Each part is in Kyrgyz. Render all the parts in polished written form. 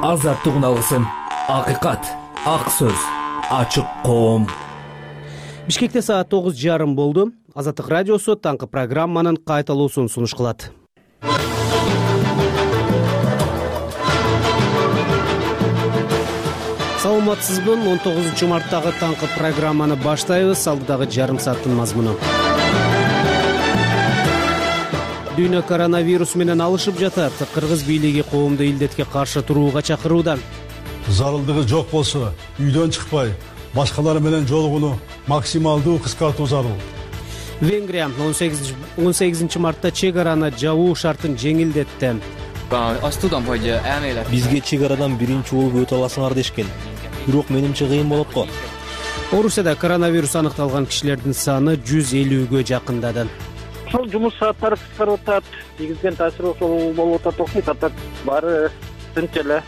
азаттык алгысым, акыйкат, ак сөз, ачык коом. Бишкекте саат 9:30 болду. Азаттык радиосу таңкы программанын кайталуусун сунуш кылат. Саламатсызбы? 19 марттагы таңкы программаны баштайбыз. Алдыдагы жарым сааттын мазмуну. Дүйнө коронавирус менен алышып жатат. Кыргыз бийлиги коомду илдетке каршы турууга чакырууда. Зарылдыгы жок болсо, үйдөн чыкпай, башкалар менен жолугууну максималдуу кыскартуу зарыл. Венгрия 18 мартта чек араны жабуу шартын жеңилдетти. Бизге чек арадан биринчи болуп өтө аласыңар дешкен. Бирок менимче кыйын болот го. Орусияда коронавирус аныкталган кишилердин саны 150гө жакындады. Ошол жумуш сааттары кыскарып атат, тийгизген таасири ошол болуп атат окшойт. Атат баары тынч эле.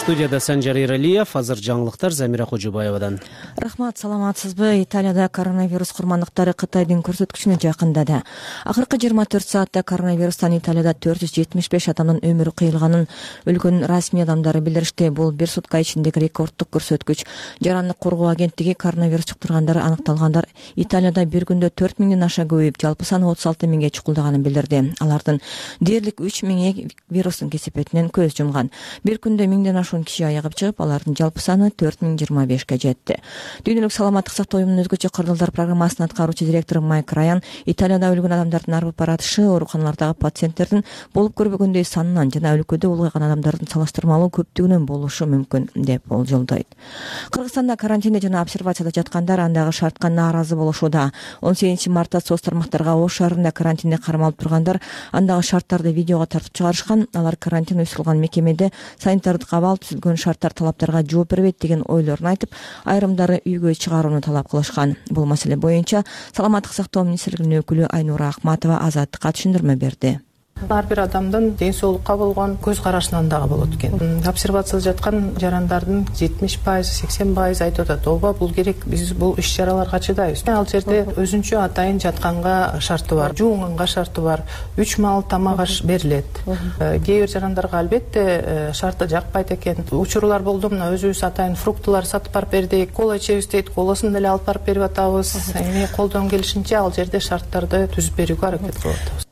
Студияда Санжар Иралиев, азыр жаңылыктар Замира Кожобаевадан. Рахмат, саламатсызбы? Италияда коронавирус курмандыктары Кытайдын көрсөткүчүнө жакындады. Акыркы 24 саатта коронавирустан Италияда 475 адамдын өмүрү кыйылганын өлкөнүн расмий адамдары билдиришти. Бул бир сутка ичиндеги рекордтук көрсөткүч. Жарандык коргоо агенттиги коронавирус жуктургандар аныкталгандар Италияда бир күндө 4000ден аша көбөйүп, жалпы саны 36 миңге чукулдаганын билдирди. Алардын дээрлик 3 миңи вирустун кесепетинен көз жумган. Бир күндө 1000ден киши аягып чыгып, алардын жалпы саны 4025ке жетти. Дүйнөлүк саламаттык сактоо уюмунун өзгөчө кырдаалдар программасынын аткаруучу директору Майк Раян Италияда өлгөн адамдардын арып баратышы ооруканалардагы пациенттердин болуп көрбөгөндөй санынан жана өлкөдө улгайган адамдардын салыштырмалуу көптүгүнөн болушу мүмкүн деп болжолдойт. Кыргызстанда карантинде жана обсервацияда жаткандар андагы шартка нааразы болушууда. 18 мартта соц тармактарга Ош шаарында карантинде кармалып тургандар андагы шарттарды видеого тартып чыгарышкан. Алар карантин уюштурулган мекемеде санитардык абал түзүлгөн шарттар талаптарга жооп бербейт деген ойлорун айтып, айрымдары үйгө чыгарууну талап кылышкан. Бул маселе боюнча саламаттык сактоо министрлигинин өкүлү Айнура Акматова Азаттыкка түшүндүрмө берди. Ар бир адамдын ден соолукка болгон көз карашынан дагы болот экен. Обсервацияда жаткан жарандардын 70%, 80% айтып атат, ооба бул керек, биз бул иш чараларга чыдайбыз. Ал жерде өзүнчө атайын жатканга шарты бар, жуунганга шарты бар, 3 маал тамак аш берилет. Кээ бир жарандарга албетте шарты жакпайт экен. Учурлар болду, мына өзүбүз атайын фруктылар сатып барып бердик, кола ичебиз дейт, колосун деле алып барып берип атабыз. Эми колдон келишинче ал жерде шарттарды түзүп берүүгө аракет кылып атабыз.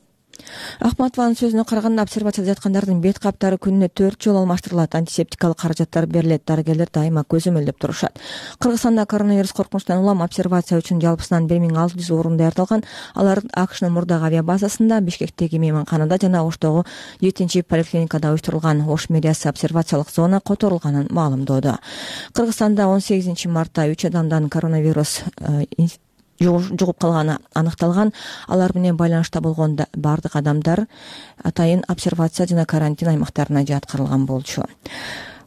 Ахматованын сөзүнө караганда, обсервацияда жаткандардын бет каптары күнүнө 4 жолу алмаштырылат, антисептикалык каражаттар берилет, дарыгерлер дайыма көзөмөлдөп турушат. Кыргызстанда коронавирус коркунучтан улам обсервация үчүн жалпысынан 1600 орун даярдалган. Алар АКШнын Мурдагы авиабазасында, Бишкектеги мейманканада жана Оштогу 7 поликлиникада уюштурулган. Ош мэриясы обсервациялык зона которулганын маалымдоодо. Кыргызстанда 18 мартта 3 адамдан коронавирус жугуп калганы аныкталган. Алар менен байланышта болгон бардык адамдар атайын обсервация жана карантин аймактарына жаткырылган болчу.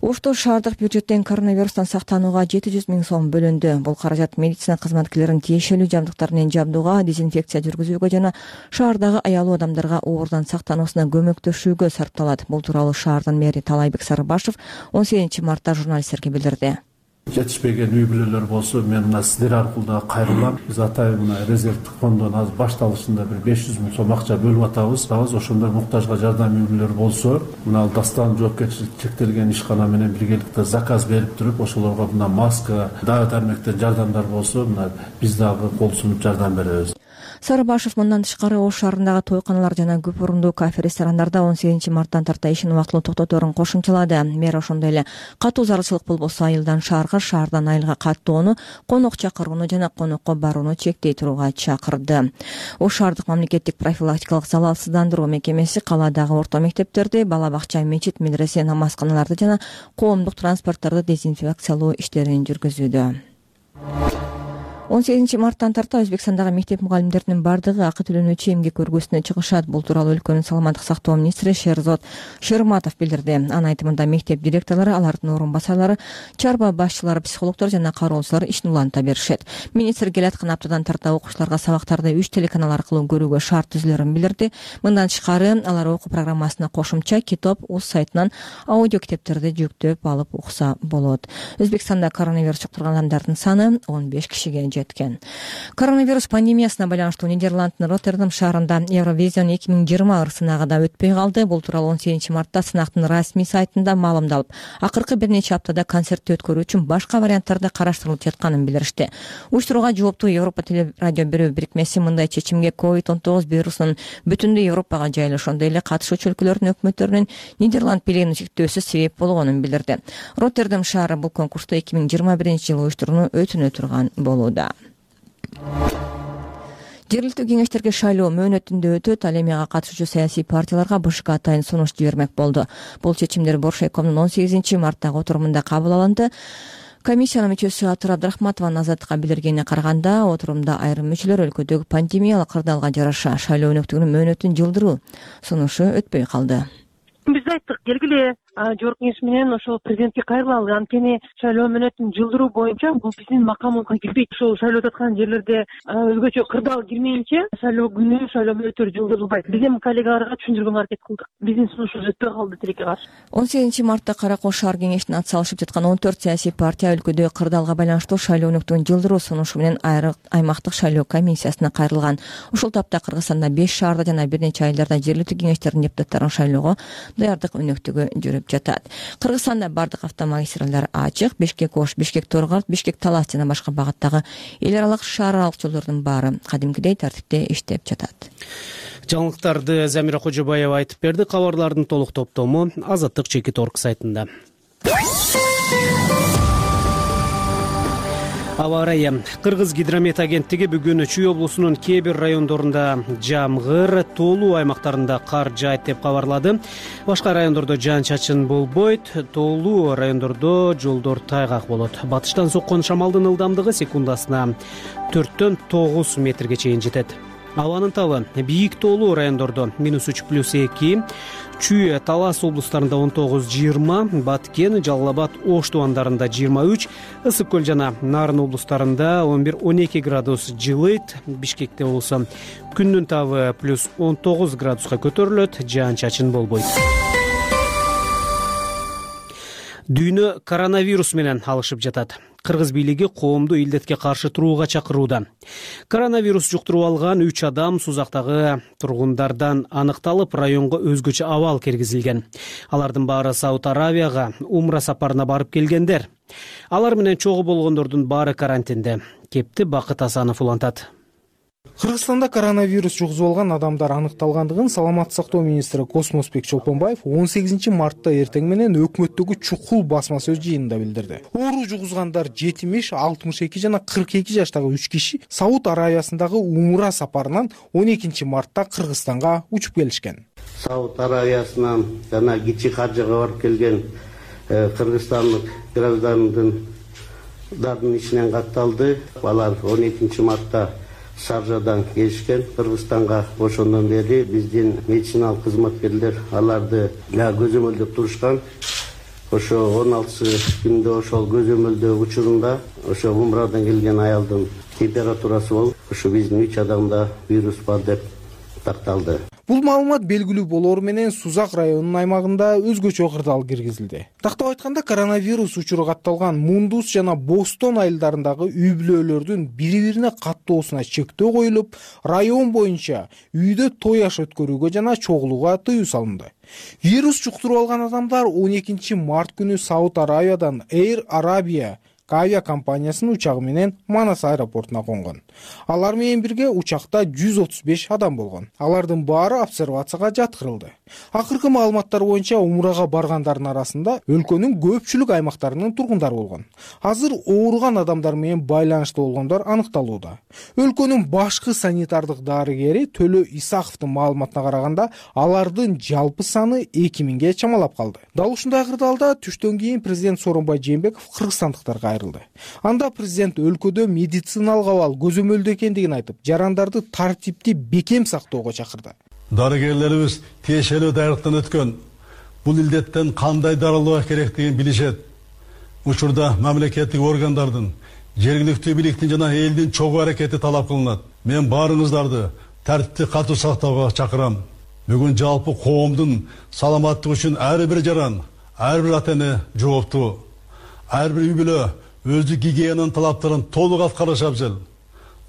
Ошто шаардык бюджеттен коронавирустан сактанууга 700 миң сом бөлүндү. Бул каражат медицина кызматкерлерин тиешелүү жабдыктар менен жабдууга, дезинфекция жүргүзүүгө жана шаардагы аялуу адамдарга оорунан сактануусуна көмөктөшүүгө сарпталат. Бул тууралуу шаардын мэри Талайбек Сарыбашев 18 мартта журналисттерге билдирди. Жетишпеген үй бүлөлөр болсо, мен мына сиздер аркылуу да кайрылам. Биз атайын мына резервдик фонддон азыр башталышында бир 500 миң сом акча бөлүп атабыз. Ошондой муктажга жардам үй бүлөлөр болсо, мына дастан жоопкерчилик чектелген ишкана менен биргеликте заказ берип туруп, ошолорго мына маска, дары дармектен жардамдар болсо, мына биз дагы кол сунуп жардам беребиз. Сарыбашев мындан тышкары Ош шаарындагы тойканалар жана көп орундуу кафе-ресторандарда 18 марттан тарта ишин убактылуу токтоторун кошумчалады. Мэр ошондой эле катуу зарылчылык болбосо айылдан шаарга, шаардан айылга каттоону, конок чакырууну жана конокко барууну чектей турууга чакырды. Ош шаардык мамлекеттик профилактикалык залалсыздандыруу мекемеси калаадагы орто мектептерди, бала бакча, мечит, медресе, намазканаларды жана коомдук транспорттарды дезинфекциялоо иштерин жүргүзүүдө. 18 марттан тарта Өзбекстандагы мектеп мугалимдеринин бардыгы акы төлөнүүчү эмгек көргөзүнө чыгышат. Бул тууралуу өлкөнүн саламаттык сактоо министри Шерзод Шерматов билдирди. Анын айтымында мектеп директорлору, алардын орун басарлары, чарба башчылары, психологдор жана кароочулар ишин уланта беришет. Министр келаткан аптадан тарта окуучуларга сабактарды 3 телеканал аркылуу көрүүгө шарт түзүлөрүн билдирди. Мындан тышкары алар окуу программасына кошумча китап УЗ сайтынан аудио китептерди жүктөп алып укса болот. Өзбекстанда коронавирус жуктурган адамдардын саны 15 кишиге жеткен. Коронавирус пандемиясына байланыштуу Нидерланддын Роттердам шаарында Евровизион 2020 сынагы да өтпөй калды. Бул тууралуу 18 мартта сынактын расмий сайтында маалымдалып, акыркы бир нече аптада концертти өткөрүү үчүн башка варианттарды караштырылып жатканын билдиришти. Уюштурууга жооптуу Европа телерадио берүү бирикмеси мындай чечимге COVID-19 вирусунун бүтүндөй Европага жайылышы, ошондой эле катышуучу өлкөлөрдүн өкмөттөрүнүн Нидерланд бийлигинин шектөөсү себеп болгонун билдирди. Роттердам шаары бул конкурсту 2021-жылы уюштурууну өтүнө турган болууда. Жергиликтүү кеңештерге шайлоо мөөнөтүндө өтөт. Ал эми ага катышуучу саясий партияларга БШК атайын сунуш жибермек болду. Бул чечимдер Боршайкомдун 18 марттагы отурумунда кабыл алынды. Комиссиянын мүчөсү Атыр Абдрахматованын Азаттыкка билдиргенине караганда, отурумда айрым мүчөлөр өлкөдөгү пандемиялык кырдаалга жараша шайлоо өнөктүгүнүн мөөнөтүн жылдыруу сунушу өтпөй калды. Биз айттык, келгиле жогорку кеңеш менен ошол президентке кайрылалы. Анткени шайлоо мөөнөтүн жылдыруу боюнча бул биздин макамыбызга кирбейт. Ошол шайлоо өтүп аткан жерлерде өзгөчө кырдаал кирмейинче шайлоо күнү шайлоо мөөнөттөрү жылдырылбайт. Биз эми коллегаларга түшүндүргөнгө аракет кылдык. Биздин сунушубуз өтпөй калды тилекке каршы. 18 мартта Кара Кол шаар кеңешине ат салышып жаткан 14 саясий партия өлкөдө кырдаалга байланыштуу шайлоо өнөктүгүн жылдыруу сунушу менен аймактык шайлоо комиссиясына кайрылган. Ушул тапта Кыргызстанда 5 шаарда жана бир нече айылдарда жергиликтүү кеңештердин депутаттарын шайлоого даярдык өнөктүгү жүрүп жатат. Кыргызстанда бардык автомагистралдар ачык. Бишкек-Ош, Бишкек-Торгород, Бишкек-Талас жана башка багыттагы эл аралык шаар аралык жолдордун баары кадимкидей тартипте иштеп жатат. Жаңылыктарды Замира Кожобаева айтып берди. Кабарлардын толук топтому Азаттык Чекит.орг сайтында. Аба ырайы. Кыргыз гидромет агенттиги бүгүн Чүй облусунун кээ бир райондорунда жамгыр, тоолуу аймактарында кар жаайт деп кабарлады. Башка райондордо жаан-чачын болбойт, тоолуу райондордо жолдор тайгак болот. Батыштан соккон шамалдын ылдамдыгы секундасына 4-төн 9 метрге чейин жетет. Абанын табы бийик тоолуу райондордо -3+2, Чүй, Талас облустарында 19-20, Баткен, Жалал-Абад, Ош тубандарында 23, Ысык көл жана Нарын облустарында 11-12 градус жылыйт. Бишкекте болсо күндүн табы +19 градуска көтөрүлөт, жаан-чачын болбойт. Дүйнө коронавирус менен алышып жатат. Кыргыз бийлиги коомду илдетке каршы турууга чакырууда. Коронавирус жуктуруп алган 3 адам Сузактагы тургундардан аныкталып, районго өзгөчө абал киргизилген. Алардын баары Сауд Аравияга умра сапарына барып келгендер. Алар менен чогуу болгондордун баары карантинде. Кепти Бакыт Асанов улантат. Кыргызстанда коронавирус жугузуп алган адамдар аныкталгандыгын саламаттык сактоо министри Космосбек Чолпонбаев 18 мартта эртең менен өкмөттөгү чукул басма сөз жыйынында билдирди. Оору жугузгандар 70, 62 жана 42 жаштагы 3 киши Сауд Аравиясындагы умра сапарынан 12 мартта Кыргызстанга учуп келишкен. Сауд Аравиясынан жана кичи хажыга барып келген кыргызстандык граждандын ичинен катталды. Алар 12 мартта Шаржадан келишкен. Кыргызстанга ошондон бери биздин медициналык кызматкерлер аларды көзөмөлдөп турушкан. Ошо 16 күндө ошол көзөмөлдөө учурунда ошо умрадан келген аялдын температурасы болуп, ошо биздин 3 адамда вирус бар деп такталды. Бул маалымат белгилүү болору менен Сузак районунун аймагында өзгөчө кырдаал киргизилди. Тактап айтканда, коронавирус учуру катталган Мундус жана Бостон айылдарындагы үй-бүлөлөрдүн бири-бирине каттоосуна чектөө коюлуп, район боюнча үйдө той аш өткөрүүгө жана чогулууга тыюу салынды. Вирус жуктуруп алган адамдар 12 март күнү Сауд Аравиядан Air Arabia авиакомпаниясынын учагы менен Манас аэропортуна конгон. Алар менен бирге учакта 135 адам болгон. Алардын баары обсервацияга жаткырылды. Акыркы маалыматтар боюнча умрага баргандардын арасында өлкөнүн көпчүлүк аймактарынын тургундары болгон. Азыр ооруган адамдар менен байланыштуу болгондор аныкталууда. Өлкөнүн башкы санитардык дарыгери Төлө Исаховдун маалыматына караганда, алардын жалпы саны 2000ге чамалап калды. Дал ушундай кырдаалда түштөн кийин президент Сооронбай Жээнбеков кыргызстандыктарга айрылды. Анда президент өлкөдө медициналык абал көзөмөлдө экендигин айтып, жарандарды тартипти бекем сактоого чакырды. Дарыгерлерибиз тиешелүү даярдыктан өткөн. Бул илдеттен кандай дарылоо керектигин билишет. Учурда мамлекеттик органдардын, жергиликтүү бийликтин жана элдин чогуу аракети талап кылынат. Мен баарыңыздарды тартипти катуу сактоого чакырам. Бүгүн жалпы коомдун саламаттыгы үчүн ар бир жаран, ар бир ата-эне жооптуу. Ар бир үй бүлө өздүк гигиенанын талаптарын толук аткарыш абзел.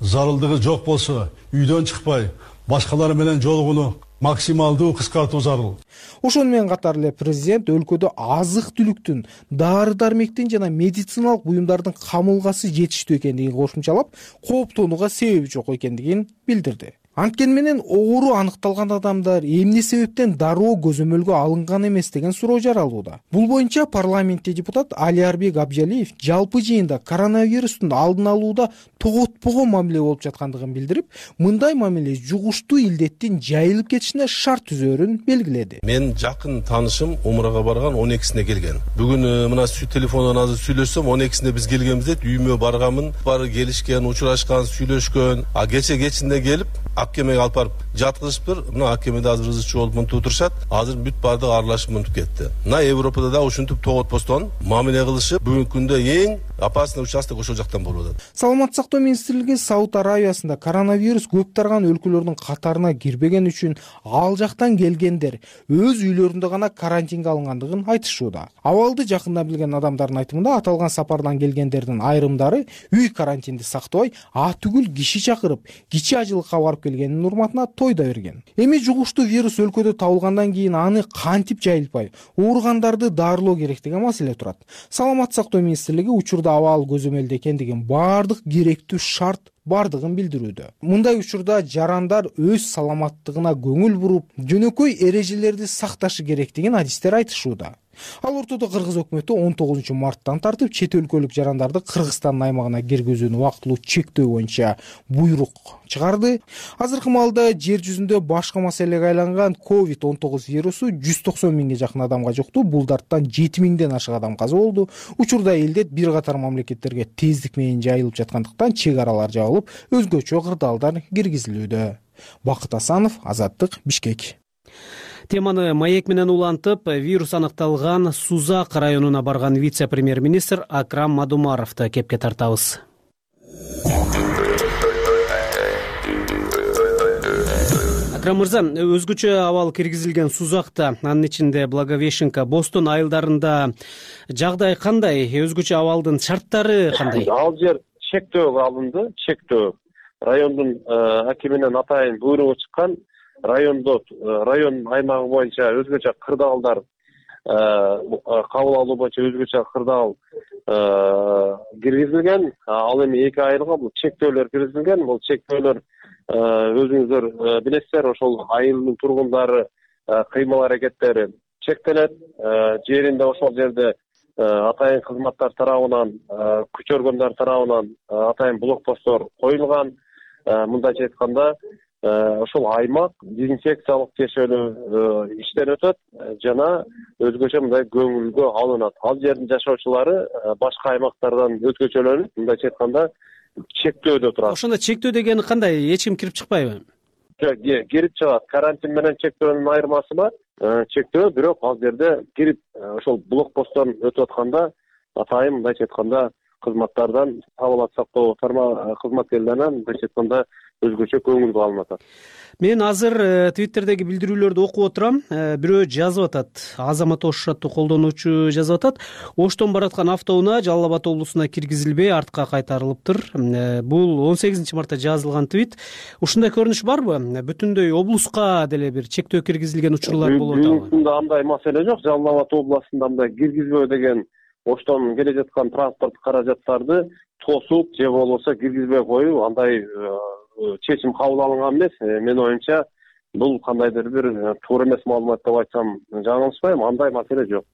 Зарылдыгы жок болсо, үйдөн чыкпай, башкалар менен жолугууну максималдуу кыскартуу зарыл. Ошону менен катар эле президент өлкөдө азык-түлүктүн, дары-дармектин жана медициналык буюмдардын камылгасы жетиштүү экендигин кошумчалап, кооптонууга себеби жок экендигин билдирди. Анткени менен оору аныкталган адамдар эмне себептен дароо көзөмөлгө алынган эмес деген суроо жаралууда. Бул боюнча парламентте депутат Алиарбек Абжалиев жалпы жыйында коронавирустун алдын алууда тоготпогон мамиле болуп жаткандыгын билдирип, мындай мамиле жугуштуу илдеттин жайылып кетишине шарт түзөөрүн белгиледи. Мен жакын таанышым Умрага барган 12-сине келген. Бүгүн мына телефондон азыр сүйлөшсөм 12-сине биз келгенбиз дейт. Үйүмө барганмын, бары келишкен, учурашкан, сүйлөшкөн. Кечинде келип аккемеге алып барып жаткызышыптыр. Мына аккемеде азыр ызычуу болуп мынтип отурушат. Азыр бүт бардыгы аралашып мынтип кетти. Мына Европада да ушинтип тоготпостон мамиле кылышып, бүгүнкү күндө эң опасный участок ошол жактан болуп атат. Саламаттык сактоо министрлиги Сауд Арабиясында коронавирус көп тарган өлкөлөрдүн катарына кирбеген үчүн ал жактан келгендер өз үйлөрүндө гана карантинге алынгандыгын айтышууда. Абалды жакында билген адамдардын айтымында аталган сапардан келгендердин айрымдары үй карантинди сактабай, түгүл киши чакырып, кичи ажылыкка барып келгенин урматына тойда берген. Эми жугуштуу вирус өлкөдө табылгандан кийин аны кантип жайылтпай, ооругандарды дарылоо керек деген маселе турат. Саламаттык сактоо министрлиги учурда абал көзөмөлдө экендигин, баардык керектүү шарт бардыгын билдирүүдө. Мындай учурда жарандар өз саламаттыгына көңүл буруп, жөнөкөй эрежелерди сакташы керектигин адистер айтышууда. Ал ортодо Кыргыз өкмөтү 19 марттан тартып чет өлкөлүк жарандарды Кыргызстандын аймагына киргизүүнү убактылуу чектөө боюнча буйрук чыгарды. Азыркы маалда жер жүзүндө башка маселеге айланган COVID-19 вирусу 190 миңге жакын адамга жукту. Булдарттан 7 миңден ашык адам каза болду. Учурда элдет бир катар мамлекеттерге тездик менен жайылып жаткандыктан чек аралар жабылып, өзгөчө кырдаалдар киргизилүүдө. Бакыт Асанов, Азаттык, Бишкек. Теманы маек менен улантып, вирус аныкталган Сузак районуна барган вице-премьер-министр Акрам Мадумаровду кепке тартабыз. Акрам мырза, өзгөчө абал киргизилген Сузакта, анын ичинде Благовещенка, Бостон айылдарында жагдай кандай? Өзгөчө абалдын шарттары кандай? Ал жер чектөөгө алынды, чектөө. Райондун акиминен атайын буйругу чыккан. Район аймагы боюнча өзгөчө кырдаалдар кабыл алуу боюнча өзгөчө кырдаал киргизилген. Ал эми 2 айылга бул чектөөлөр киргизилген. Бул чектөөлөр өзүңүздөр билесиздер, ошол айылдын тургундары кыймыл аракеттери чектелет. Жеринде ошол жерде атайын кызматтар тарабынан, күч органдар тарабынан атайын блокпосттор коюлган. Мындайча айтканда, ошол аймак дезинфекциялык текшерүү иштен өтөт жана өзгөчө мындай көңүлгө алынат. Ал жердин жашоочулары башка аймактардан өзгөчөлөнүп, мындайча айтканда, чектөөдө турат. Ошондо чектөө дегени кандай? Эч ким кирип чыкпайбы? Кирип чыгат. Карантин менен чектөөнүн айырмасы бар. Чектөө, бирок ал жерде кирип ошол блокпосттон өтүп атканда атайын мындайча айтканда кызматтардан, саламаттык сактоо кызматкерлеринен мындайча айтканда өзгөчө көңүлгө алынып атат. Мен азыр Twitterдеги билдирүүлөрдү окуп отурам. Бирөө жазып атат. Азамат Ош аттуу колдонуучу жазып атат. Оштон бараткан автоунаа Жалал Абад облусуна киргизилбей артка кайтарылыптыр. Бул 18 мартта жазылган твит. Ушундай көрүнүш барбы? Бүтүндөй облуска деле бир чектөө киргизилген учурлар болуп атабы? Бүгүнкүндө андай маселе жок. Жалал Абад областында мындай киргизбөө деген Оштон келе жаткан транспорт каражаттарды тосуп же болбосо киргизбей коюу андай чечим кабыл алынган эмес. Менин оюмча, бул кандайдыр бир туура эмес маалымат деп айтсам жаңылышпайм. Андай маселе жок.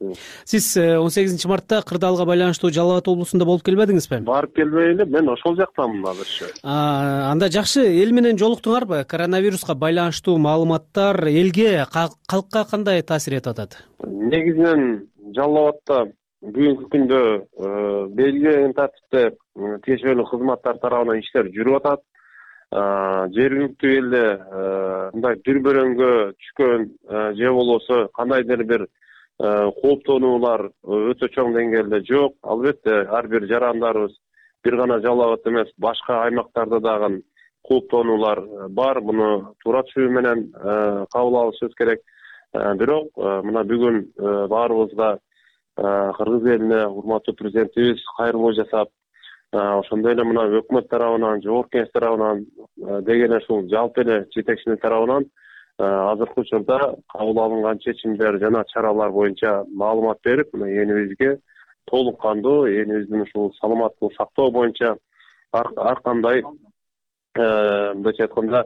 Сиз 18 мартта кырдаалга байланыштуу Жалал Абад облусунда болуп келбедиңизби? Барып келбей эле, мен ошол жактамын азырчы. Анда жакшы эл менен жолуктуңарбы? Коронавируска байланыштуу маалыматтар элге, калкка кандай таасир этип атат? Негизинен Жалал Абадта бүгүнкү күндө белгиленген тартипте тиешелүү кызматтар тарабынан иштер жүрүп атат. Жергиликтүү элде мындай дүрбөрөңгө түшкөн же болбосо кандайдыр бир кооптонуулар өтө чоң деңгээлде жок. Албетте ар бир жарандарыбыз бир гана Жалал Абад эмес, башка аймактарда дагы кооптонуулар бар. Муну туура түшүнүү менен кабыл алышыбыз керек. Бирок мына бүгүн баарыбызга Кыргыз элине урматтуу президентибиз кайрылуу жасап, ошондой эле мына өкмөт тарабынан, жогорку кеңеш тарабынан деген ушул жалпы эле жетекчилик тарабынан азыркы учурда кабыл алынган чечимдер жана чаралар боюнча маалымат берип, мына элибизге толук кандуу элибиздин ушул саламаттыгын сактоо боюнча ар кандай мындайча айтканда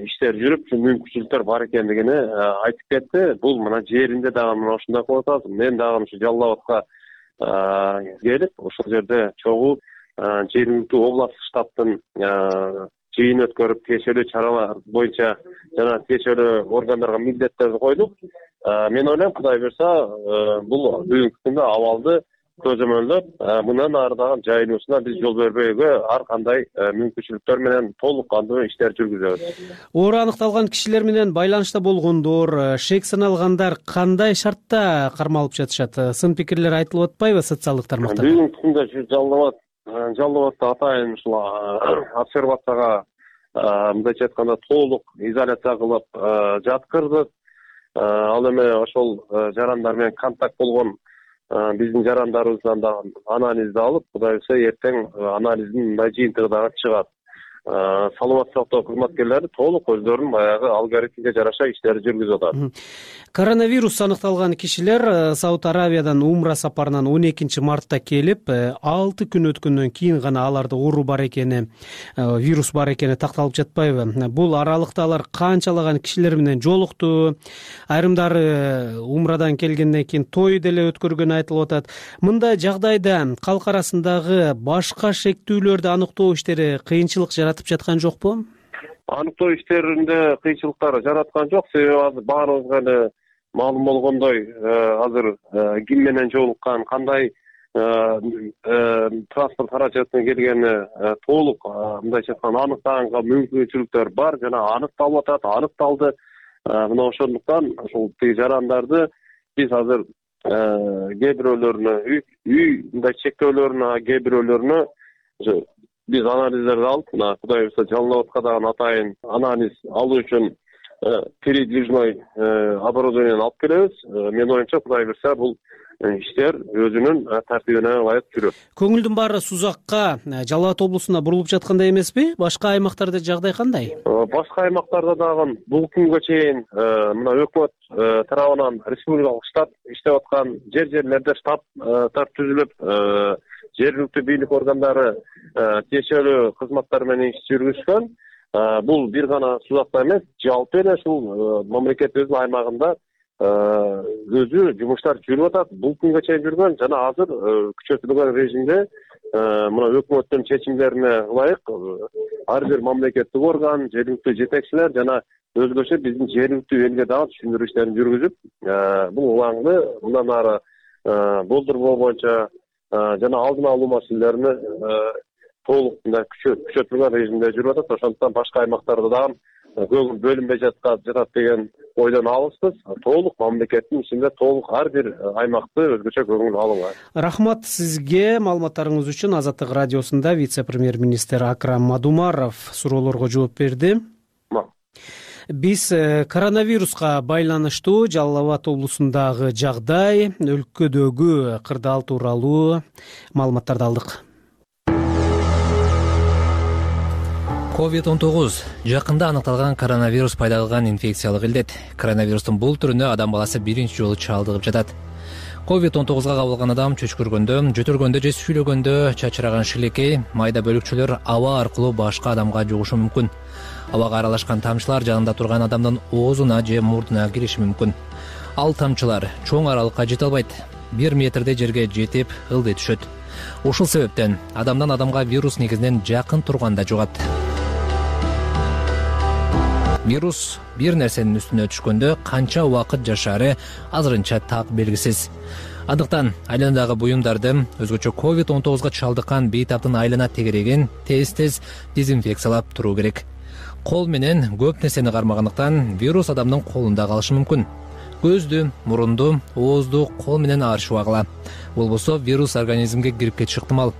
иштер жүрүп, мүмкүнчүлүктөр бар экендигини айтып кетти. Бул мына жеринде дагы мына ушундай кылып атабыз. Мен дагы ушу Жалал Абадка келип, ошол жерде чогуу жергиликтүү областтык штабтын жыйын өткөрүп, тиешелүү чаралар боюнча жана тиешелүү органдарга милдеттерди койдук. Мен ойлойм, Кудай буюрса, бул бүгүнкү күндө абалды көзөмөлдөп, мындан ары дагы жайылуусуна биз жол бербөйгө ар кандай мүмкүнчүлүктөр менен толук кандуу иштер жүргүзөбүз. Оору аныкталган кишилер менен байланышта болгондор, шек саналгандар кандай шартта кармалып жатышат? Сын пикирлер айтылып атпайбы социалдык тармактарда? Бүгүнкү күндө Жалал Абадта атайын ушул обсервацияга мындайча айтканда толук изоляция кылып жаткырдык. Ал эми ошол жарандар менен контакт болгон биздин жарандарыбыздан дагы анализди алып, Кудай буюрса эртең анализдин мындай жыйынтыгы дагы чыгат. Саламаттык сактоо кызматкерлери толук өздөрүнүн баягы алгоритмге жараша иштерди жүргүзүп атат. Коронавирус аныкталган кишилер Сауд Аравиядан умра сапарынан 12 мартта келип, 6 күн өткөндөн кийин гана аларда оору бар экени, вирус бар экени такталып жатпайбы? Бул аралыкта алар канчалаган кишилер менен жолукту? Айрымдары умрадан келгенден кийин той деле өткөргөнү айтылып атат. Мындай жагдайда калк арасындагы башка шектүүлөрдү аныктоо иштери кыйынчылык жаратып жаткан жокпу? Аныктоо иштеринде кыйынчылыктар жараткан жок. Себеби азыр баарыбызга эле маалым болгондой, азыр ким менен жолуккан, кандай транспорт каражатына келгени толук мындайча айтканда аныктаганга мүмкүнчүлүктөр бар жана аныкталып атат, аныкталды. Мына ошондуктан ушул жарандарды биз азыр кээ бирөөлөрүнө үй мындай чектөөлөрүнө, кээ бирөөлөрүнө биз анализдерди алып, мына Кудай буюрса Жалал Абадка дагы атайын анализ алуу үчүн передвижной оборудованияны алып келебиз. Мен оюмча Кудай буюрса бул иштер өзүнүн тартибине ылайык жүрөт. Көңүлдүн баары Сузакка, Жалал Абад облусуна бурулуп жаткандай эмеспи? Башка аймактарда жагдай кандай? Башка аймактарда дагы бул күнгө чейин мына өкмөт тарабынан республикалык штаб иштеп аткан, жерлерде штабтар түзүлүп, жергиликтүү бийлик органдары тиешелүү кызматтар менен иш жүргүзгөн. Бул бир гана Сузакта эмес, жалпы эле ушул мамлекетибиздин аймагында өзү жумуштар жүрүп атат. Бул күнгө чейин жүргөн жана азыр күчөтүлгөн режимде мына өкмөттүн чечимдерине ылайык ар бир мамлекеттик орган, жергиликтүү жетекчилер жана өзгөчө биздин жергиликтүү элге дагы түшүндүрүү иштерин жүргүзүп, бул улаңды мындан ары болдурбоо боюнча жана алдын алуу маселелерине толук мындай күчөтүлгөн режимде жүрүп атат. Ошондуктан башка аймактарда дагы көңүл бөлүнбөй жатат деген ойдон алыспыз. Толук мамлекеттин ичинде толук ар бир аймакты өзгөчө көңүл алынган. Рахмат сизге маалыматтарыңыз үчүн. Азаттык радиосунда вице-премьер-министр Акрам Мадумаров суроолорго жооп берди. Биз коронавируска байланыштуу Жалал Абад облусундагы жагдай, өлкөдөгү кырдаал тууралуу маалыматтарды алдык. COVID-19 жакында аныкталган коронавирус пайда кылган инфекциялык илдет. Коронавирустун бул түрүнө адам баласы биринчи жолу чалдыгып жатат. COVID-19га кабылган адам чөчкүргөндө, жөтөлгөндө же сүйлөгөндө чачыраган шилекей, майда бөлүкчөлөр аба аркылуу башка адамга жугушу мүмкүн. Абага аралашкан тамчылар жанында турган адамдын оозуна же мурдуна кириши мүмкүн. Ал тамчылар чоң аралыкка жете албайт. 1 метрдей жерге жетип ылдый түшөт. Ушул себептен адамдан адамга вирус негизинен жакын турганда жугат. Вирус бир нерсенин үстүнө түшкөндө канча убакыт жашаары азырынча так белгисиз. Андыктан айланадагы буюмдарды, өзгөчө COVID-19га чалдыккан бейтаптын айлана тегерегин тез дезинфекциялап туруу керек. Кол менен көп нерсени кармагандыктан вирус адамдын колунда калышы мүмкүн. Көздү, мурунду, оозду кол менен аршыбагыла. Болбосо вирус организмге кирип кетиши ыктымал.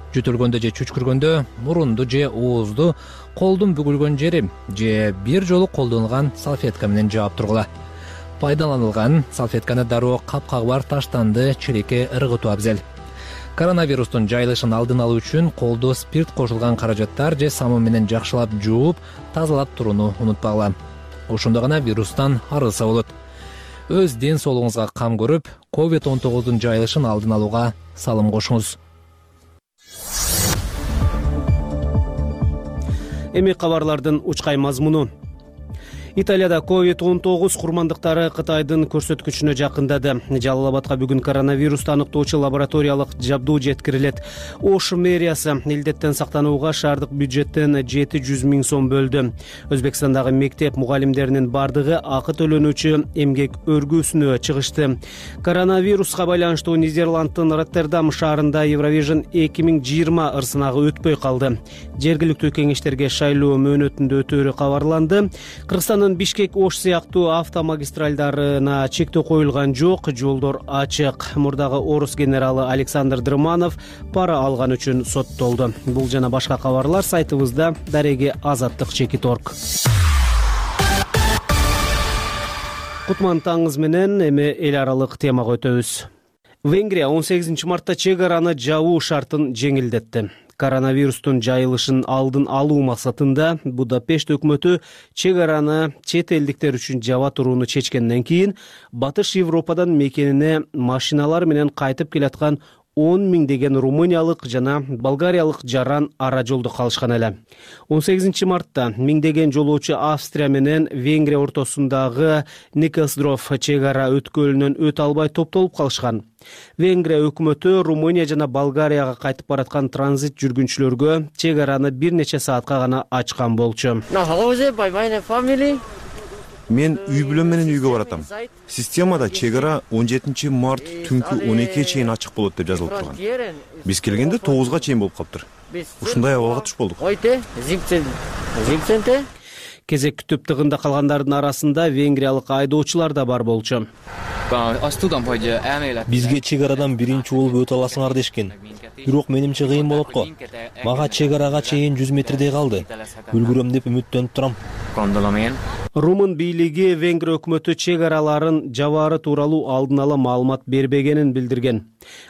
Жөтөлгөндө же чүчкүргөндө мурунду же оозду колдун бүгүлгөн жери же бир жолу колдонулган салфетка менен жаап тургула. пайдаланылган салфетканы дароо капкагыбар таштанды челекке ыргытуу абзел. Коронавирустун жайылышын алдын алуу үчүн колдо спирт кошулган каражаттар же самын менен жакшылап жууп, тазалап турууну унутпагыла. Ошондо гана вирустан арылса болот. Өз ден соолугуңузга кам көрүп, COVID-19 жайылышын алдын алууга салым кошуңуз. Эми кабарлардын учкай мазмуну. Италияда COVID-19 курмандыктары Кытайдын көрсөткүчүнө жакындады. Жалал Абадка бүгүн коронавирусту аныктоочу лабораториялык жабдуу жеткирилет. Ош мэриясы илдеттен сактанууга шаардык бюджеттен 700 000 сом бөлдү. Өзбекстандагы мектеп мугалимдеринин бардыгы акы төлөнүүчү эмгек өргүүсүнө чыгышты. Коронавируска байланыштуу Нидерланддын Роттердам шаарында Евровижн 2020 ырсынагы өтпөй калды. Жергиликтүү кеңештерге шайлоо мөөнөтүндө өтөөрү кабарланды. Кыргызстандын Бишкек Ош сыяктуу автомагистралдарына чектөө коюлган жок, жолдор ачык. Мурдагы орус генералы Александр Дрыманов пара алган үчүн соттолду. Бул жана башка кабарлар сайтыбызда дареги azatlyk.org. Кутман таңыңыз менен эми эл аралык темага өтөбүз. Венгрия 18 мартта чек араны жабуу шартын жеңилдетти. Коронавирустун жайылышын алдын алуу максатында Будапешт өкмөтү чек араны чет элдиктер үчүн жаба турууну чечкенден кийин Батыш Европадан мекенине машиналар менен кайтып келаткан 10 миңдеген румыниялык жана болгариялык жаран ара жолдо калышкан эле. 18 мартта миңдеген жолоочу Австрия менен Венгрия ортосундагы Николсдров чек ара өткөлүнөн өтө албай топтолуп калышкан. Венгрия өкмөтү Румыния жана Болгарияга кайтып бараткан транзит жүргүнчүлөргө чек араны бир нече саатка гана ачкан болчу. Мен үй бүлөм менен үйгө баратам. Системада чек ара 17 март түнкү 12-ге чейин ачык болот деп жазылып турган. Биз келгенде 9-га чейин болуп калыптыр. Ушундай абалга туш болдук. Кезек күтүп тыгында калгандардын арасында венгриялык айдоочулар да бар болчу. Бизге чек арадан биринчи болуп өтө аласыңар дешкен. Бирок менимче кыйын болот го. Мага чек арага чейин 100 метрдей калды. Үлгүрөм деп үмүттөнүп турам. Румын бийлиги Венгрия өкмөтү чек араларын жабаары тууралуу алдын ала маалымат бербегенин билдирген.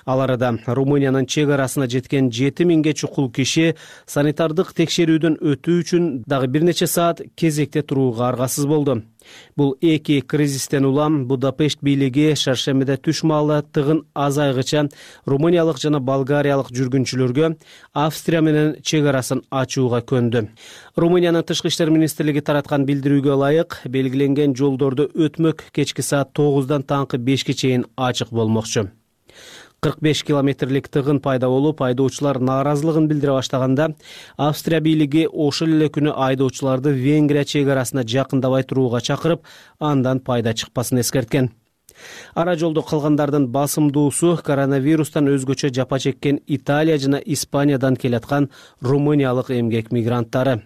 Ал арада Румыниянын чек арасына жеткен 7000ге чукул киши санитардык текшерүүдөн өтүү үчүн дагы бир нече саат кезекте турууга аргасыз болду. Бул эки кризистен улам Будапешт бийлиги шаршембиде түш маалы тыгын азайгыча румыниялык жана болгариялык жүргүнчүлөргө Австрия менен чек арасын ачууга көндү. Румыниянын тышкы иштер министрлиги тараткан билдирүүгө ылайык, белгиленген жолдордо өтмөк кечки саат 9-дан таңкы 5-ке чейин ачык болмокчу. 45 километрлик тыгын пайда болуп, айдоочулар нааразылыгын билдире баштаганда, Австрия бийлиги ошол эле күнү айдоочуларды Венгрия чек арасына жакындабай турууга чакырып, андан пайда чыкпасын эскерткен. Ара жолдо калгандардын басымдуусу коронавирустан өзгөчө жапа чеккен Италия жана Испаниядан келаткан румыниялык эмгек мигранттары.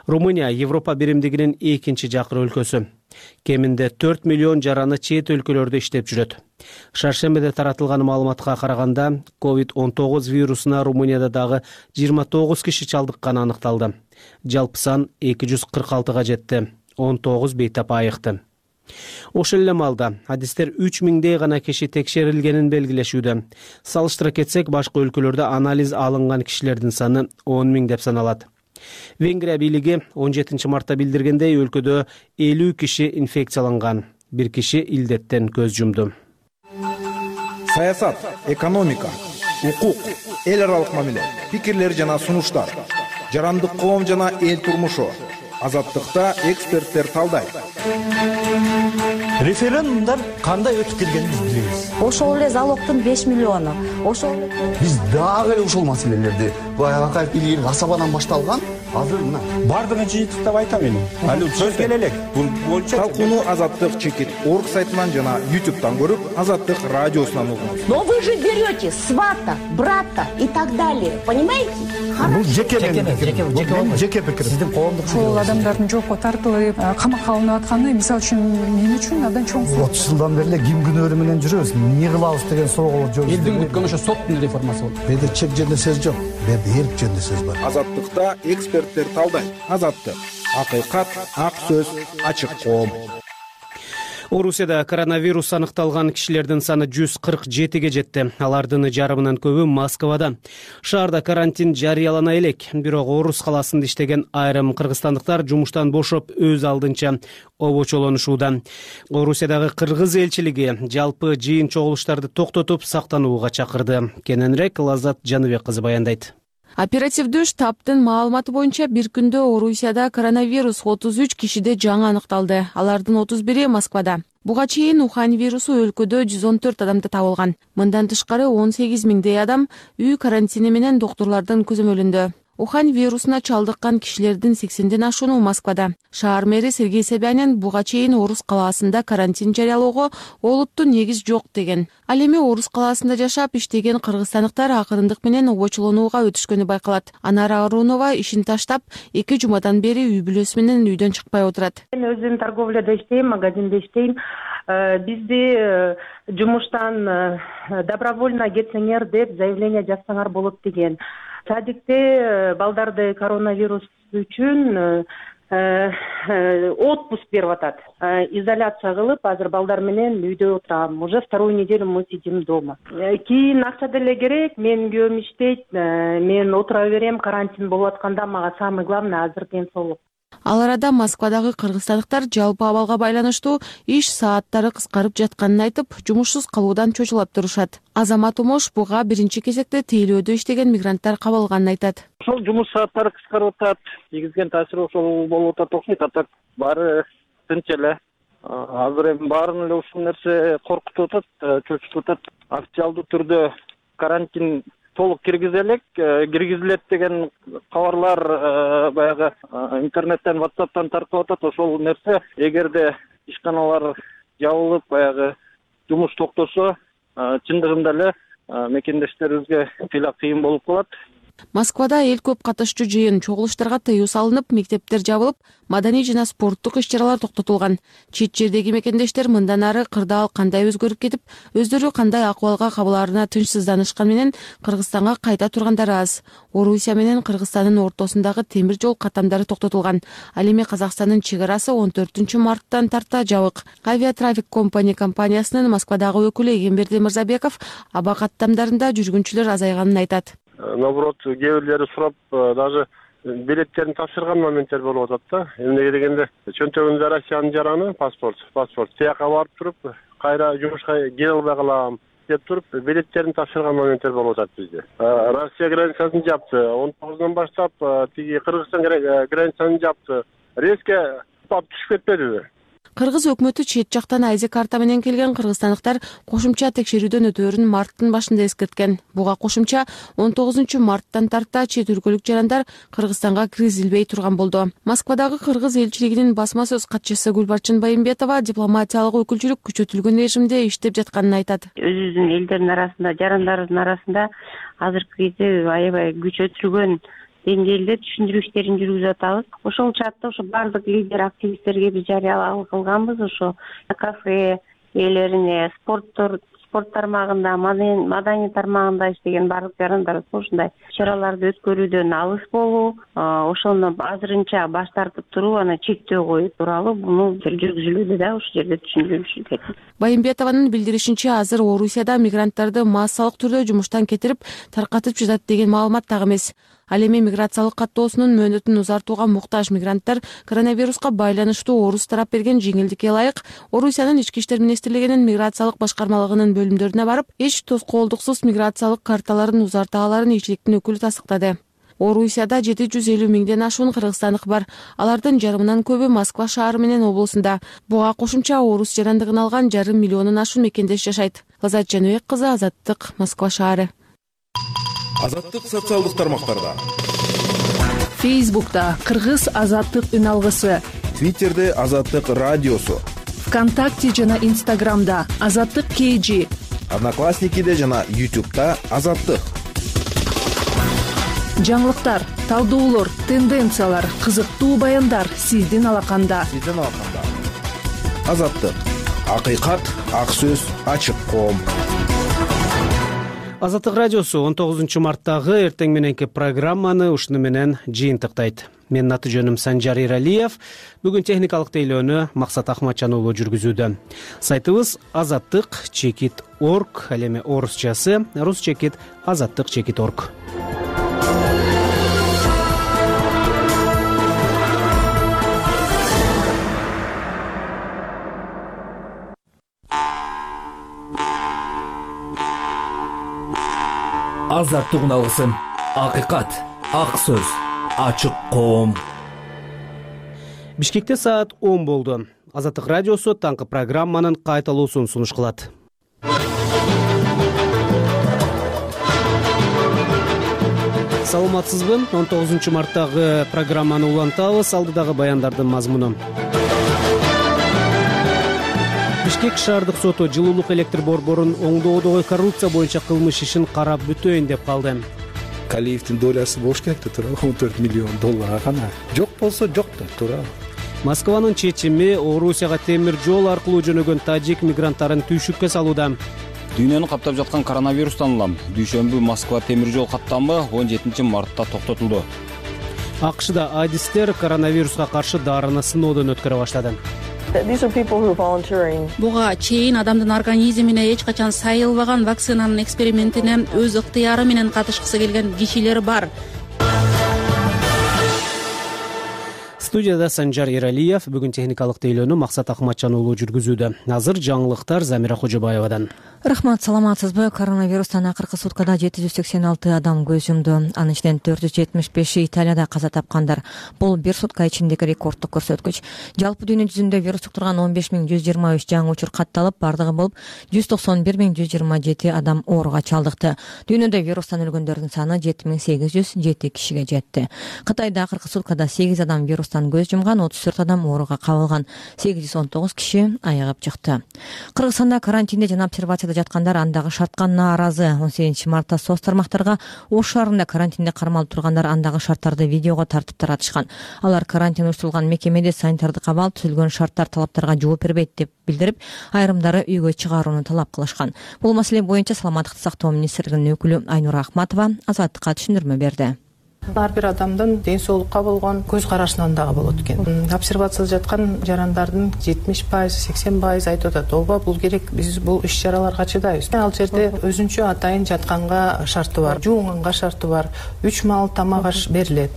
Румыния Европа биримдигинин экинчи жакыр өлкөсү. Кеминде 4 миллион жараны чет өлкөлөрдө иштеп жүрөт. Шаршембиде таратылган маалыматка караганда, COVID-19 вирусуна Румынияда дагы 29 киши чалдыкканы аныкталды. Жалпы сан 246га жетти. 19 бейтап айыкты. Ошол эле маалда адистер 3000дей гана киши текшерилгенин белгилешүүдө. Салыштыра кетсек, башка өлкөлөрдө анализ алынган кишилердин саны 10 000 деп саналат. Венгрия бийлиги 17 мартта билдиргендей, өлкөдө 50 киши инфекцияланган, 1 киши илдеттен көз жумду. Саясат, экономика, укук, эл аралык мамиле, пикирлер жана сунуштар, жарандык коом жана эл турмушу. Азаттыкта эксперттер талдайт. Референдумдар кандай өтүп келгенин биз билебиз. Ошол эле залогдун 5 миллиону. Ошол биз дагы эле ушул маселелерди Акаев бийлигинин асабадан башталган, азыр мына бардыгын жыйынтык деп айтам эми. Али сөз келе элек. Бул боюнча талкууну azatlyk.org сайтынан жана YouTube'дан көрүп, Азаттык радиосунан угуңуз. Но вы же берете свата, брата и так далее. Понимаете? Бул жеке пикир. Сиздин коомдук ошол адамдардын жокко тартылып, камакка алынып атканы мисалы үчүн мен үчүн абдан чоң сороо. 30 жылдан бери ким күнөөрү менен жүрөбүз? Эмне кылабыз деген суроого жооп. Элдин күткөнү ошо соттун реформасы болот. Беде чек жөнүндө сөз жок. Беде эрк жөнүндө сөз бар. Азаттыкта эксперттер талдайт. Азаттык. Акыйкат, ак сөз, ачык коом. Орусияда коронавирус аныкталган кишилердин саны 147ге жетти. Алардын жарымынан көбү Москвада. Шаарда карантин жарыялана элек. Бирок Орус каласында иштеген айрым кыргызстандыктар жумуштан бошоп өз алдынча обочолонушууда. Орусиядагы кыргыз элчилиги жалпы жыйын чогулуштарды токтотуп сактанууга чакырды. Кененирээк Лаззат Жаныбек кызы баяндайт. Оперативдүү штабтын маалыматы боюнча бир күндө Орусияда коронавирус 33 кишиде жаңы аныкталды. Алардын 31-и Москвада. Буга чейин Ухань вирусу өлкөдө 114 адамда табылган. Мындан тышкары 18 миңдей адам үй карантини менен доктурлардын көзөмөлүндө. Ухань вирусуна чалдыккан кишилердин 80ден ашууну Москвада. Шаар мэри Сергей Собянин буга чейин Орус калаасында карантин жарыялоого олуттуу негиз жок деген. Ал эми Орус калаасында жашап иштеген кыргызстандыктар акырындык менен обочолонууга өтүшкөнү байкалат. Анара Арунова ишин таштап 2 жумадан бери үй бүлөсү менен үйдөн чыкпай отурат. Мен өзүм торговляда иштейм, магазинде иштейм. Бизди жумуштан добровольно кетсеңер деп заявление жазсаңар болот деген. Садикте балдарды коронавирус үчүн отпуск берип атат. Изоляция кылып, азыр балдар менен үйдө отурам. Уже вторую неделю мы сидим дома. Кийин акча деле керек, менин күйөөм иштейт, мен отура берем, карантин болуп атканда мага самый главный азыр ден соолук. Ал арада Москвадагы кыргызстандыктар жалпы абалга байланыштуу иш сааттары кыскарып жатканын айтып, жумушсуз калуудан чочулап турушат. Азамат Умош буга биринчи кезекте тейлөөдө иштеген мигранттар кабылганын айтат. Ошол жумуш сааттары кыскарып атат, тийгизген таасири ошол болуп атат окшойт. Атат баары тынч эле. Азыр эми баарын эле ушул нерсе коркутуп атат, чочутуп атат. Официалдуу түрдө карантин толук киргизилет деген кабарлар баягы интернеттен, WhatsApp'тан таркап атат. Ошол нерсе эгерде ишканалар жабылып, баягы жумуш токтосо, чындыгында эле мекендештерибизге тыйла кыйын болуп калат. Москвада эл көп катышчу жыйын, чогулуштарга тыюу салынып, мектептер жабылып, маданий жана спорттук иш-чаралар токтотулган. Чет жердеги мекендештер мындан ары кырдаал кандай өзгөрүп кетип, өздөрү кандай акыбалга кабылаарына тынчсызданышкан менен Кыргызстанга кайта тургандары аз. Орусия менен Кыргызстандын ортосундагы темир жол каттамдары токтотулган. Ал эми Казакстандын чек арасы 14 марттан тарта жабык. Авиатрафик компаниясынын Москвадагы өкүлү Эгемберди Мырзабеков аба каттамдарында жүргүнчүлөр азайганын айтат. Наоборот, кээ бирлери сурап, даже билеттерин тапшырган моменттер болуп атат да. Эмнеге дегенде, чөнтөгүндө Россиянын жараны паспорт, тияка барып туруп, кайра жумушка келе албай калам деп туруп, билеттерин тапшырган моменттер болуп атат бизде. Россия границасын жапты, 19-дон баштап тиги Кыргызстан границасын жапты. Резко түшүп кетпедиби? Кыргыз өкмөтү чет жактан айзек карта менен келген кыргызстандыктар кошумча текшерүүдөн өтөөрүн марттын башында эскерткен. Буга кошумча 19 марттан тарта чет өлкөлүк жарандар Кыргызстанга киргизилбей турган болду. Москвадагы кыргыз элчилигинин басма сөз катчысы Гүлбарчын Байымбетова дипломатиялык өкүлчүлүк күчөтүлгөн режимде иштеп жатканын айтат. Өзүбүздүн элдердин арасында, жарандарыбыздын арасында азыркы кезде аябай күчөтүлгөн деңгээлде түшүндүрүү иштерин жүргүзүп атабыз. Ошол чатта ошо бардык лидер активисттерге биз жарыялоо кылганбыз. Ошо кафе ээлерине, спорт тармагында, маданий тармагында иштеген бардык жарандар ушундай чараларды өткөрүүдөн алыс болуу, ошону азырынча баш тартып туруп, аны чектөө коюу тууралуу буну жүргүзүлүүдө да ушул жерде түшүндүрүп. Байымбетованын билдиришинче, азыр Орусияда мигранттарды массалык түрдө жумуштан кетирип, таркатып жатат деген маалымат так эмес. Ал эми миграциялык каттоосунун мөөнөтүн узартууга муктаж мигранттар коронавируска байланыштуу Орус тарап берген жеңилдикке ылайык Орусиянын ички иштер министрлигинин миграциялык башкармалыгынын бөлүмдөрүнө барып, эч тоскоолдуксуз миграциялык карталарын узарта аларын элчиликтин өкүлү тастыктады. Орусияда 750 миңден ашуун кыргызстандык бар. Алардын жарымынан көбү Москва шаары менен облусунда. Буга кошумча Орус жарандыгын алган 5,5 миллионун ашуун мекендеш жашайт. Лаззат Жаныбек кызы, Азаттык, Москва шаары. Азаттык социалдык тармактарда. Фейсбукта Кыргыз Азаттык үн алгысы. Твиттерде Азаттык радиосу. ВКонтакте жана Инстаграмда Азаттык KG. Одноклассникиде жана YouTube'да Азаттык. Жаңылыктар, талдоолор, тенденциялар, кызыктуу баяндар сиздин алаканда. Азаттык. Акыйкат, ак сөз, ачык коом. Азаттык радиосу 19 марттагы эртең мененки программаны ушуну менен жыйынтыктайт. Менин аты жөнүм Санжар Иралиев. Бүгүн техникалык тейлөөнү Максат Ахматжан уулу жүргүзүүдө. Сайтыбыз azattik.org, ал эми орусчасы rus-azattik.org. Азаттык үналгысын, акыйкат, ак сөз, ачык коом. Бишкекте саат 10 болду. Азаттык радиосу таңкы программанын кайталуусун сунуш кылат. Саламатсызбы? 19 марттагы программаны улантабыз. Алдыдагы баяндардын мазмуну. Бишкек шаардык соту жылуулук электр борборун оңдоодогу коррупция боюнча кылмыш ишин карап бүтөйүн деп калды. Калиевдин долясы болуш керек да туура, $14 миллион гана. Жок болсо жок да туура. Москванын чечими Орусияга темир жол аркылуу жөнөгөн тажик мигранттарын түйшүккө салууда. Дүйнөнү каптап жаткан коронавирустан улам дүйшөмбү Москва темир жол каттамы 17 мартта токтотулду. АКШда адистер коронавируска каршы дарыны сыноодон өткөрө баштады. Буга чейин адамдын организмине эч качан сайылбаган вакцинанын экспериментине өз ыктыяры менен катышкысы келген кишилер бар. Студияда Санжар Иралиев, бүгүн техникалык тейлөөнү Максат Ахматжан уулу жүргүзүүдө. Азыр жаңылыктар Замира Кожобаевадан. Рахмат, саламатсызбы? Коронавирустан акыркы суткада 786 адам көз жумду. Анын ичинен 475 Италияда каза тапкандар. Бул бир сутка ичиндеги рекорддук көрсөткүч. Жалпы дүйнө жүзүндө вирус жуктурган 15123 жаңы учур катталып, бардыгы болуп 191127 адам ооруга чалдыкты. Дүйнөдө вирустан өлгөндөрдүн саны 7807 кишиге жетти. Кытайда акыркы суткада 8 адам вирустан көз жумган, 34 адам ооруга кабылган, 819 киши айыгып чыкты. Кыргызстанда карантинде жана обсервацияда жаткандар андагы шартка нааразы. 18 мартта соц тармактарга Ош шаарында карантинде кармалып тургандар андагы шарттарды видеого тартып таратышкан. Алар карантин уюштурулган мекемеде санитардык абал түзүлгөн шарттар талаптарга жооп бербейт деп билдирип, айрымдары үйгө чыгарууну талап кылышкан. Бул маселе боюнча Саламаттыкты сактоо министрлигинин өкүлү Айнура Акматова Азаттыкка түшүндүрмө берди. Ар бир адамдын ден соолукка болгон көз карашынан дагы болот экен. Обсервацияда жаткан жарандардын 70%, 80% айтып атат. Ооба, бул керек, биз бул иш-чараларга чыдайбыз. Ал жерде өзүнчө атайын жатканга шарты бар, жуунганга шарты бар, 3 маал тамак аш берилет.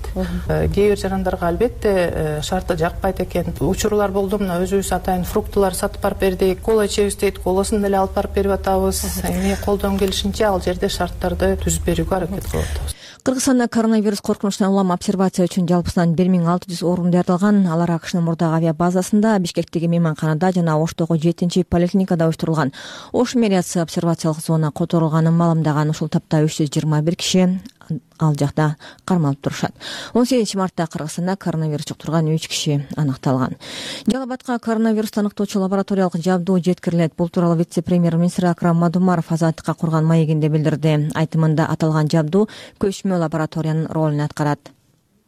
Кээ бир жарандарга албетте шарты жакпайт экен. Учурлар болду, мына өзүбүз атайын фруктулар сатып барып бердик, кола ичебиз дейт, коласын деле алып барып берип атабыз. Эми колдон келишинче ал жерде шарттарды түзүп берүүгө аракет кылып атабыз. Кыргызстанда коронавирус коркунучунан улам обсервация үчүн жалпысынан 1600 орун даярдалган. Алар АКШнын мурдагы авиабазасында, Бишкектеги мейманканада жана Оштогу 7-чи поликлиникада уюштурулган. Ош мэриясы обсервациялык зона которулганын маалымдаган. Ушул тапта 321 киши ал жакта кармалып турушат. 18 мартта Кыргызстанда коронавирус жуктурган 3 киши аныкталган. Жалал Абадка коронавирусту аныктоочу лабораториялык жабдуу жеткирилет. Бул тууралуу вице-премьер-министр Акрам Мадумаров Азаттыкка курган маегинде билдирди. Айтымында аталган жабдуу көчмө лабораториянын ролун аткарат.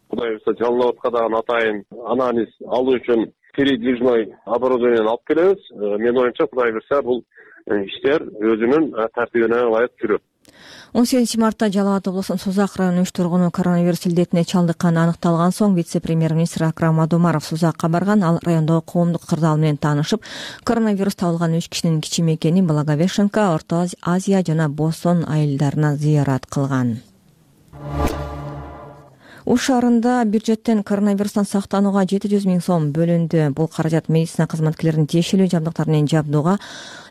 Кудай буюрса Жалал Абадка дагы атайын анализ алуу үчүн передвижной оборудованияны алып келебиз. Менин оюмча Кудай буюрса бул иштер өзүнүн тартибине ылайык жүрөт. 18 мартта Жалал Абад облусунун Сузак районунун 3 тургуну коронавирус илдетине чалдыкканы аныкталган соң вице-премьер-министр Акрам Мадумаров Сузакка барган. Ал райондогу коомдук кырдаал менен таанышып, коронавирус табылган 3 кишинин кичи экени Благовещенка, Орто Азия жана Бостон айылдарына зыярат кылган. Ош шаарында бюджеттен коронавирустан сактанууга 700 000 сом бөлүндү. Бул каражат медицина кызматкерлеринин тиешелүү жабдыктары менен жабдууга,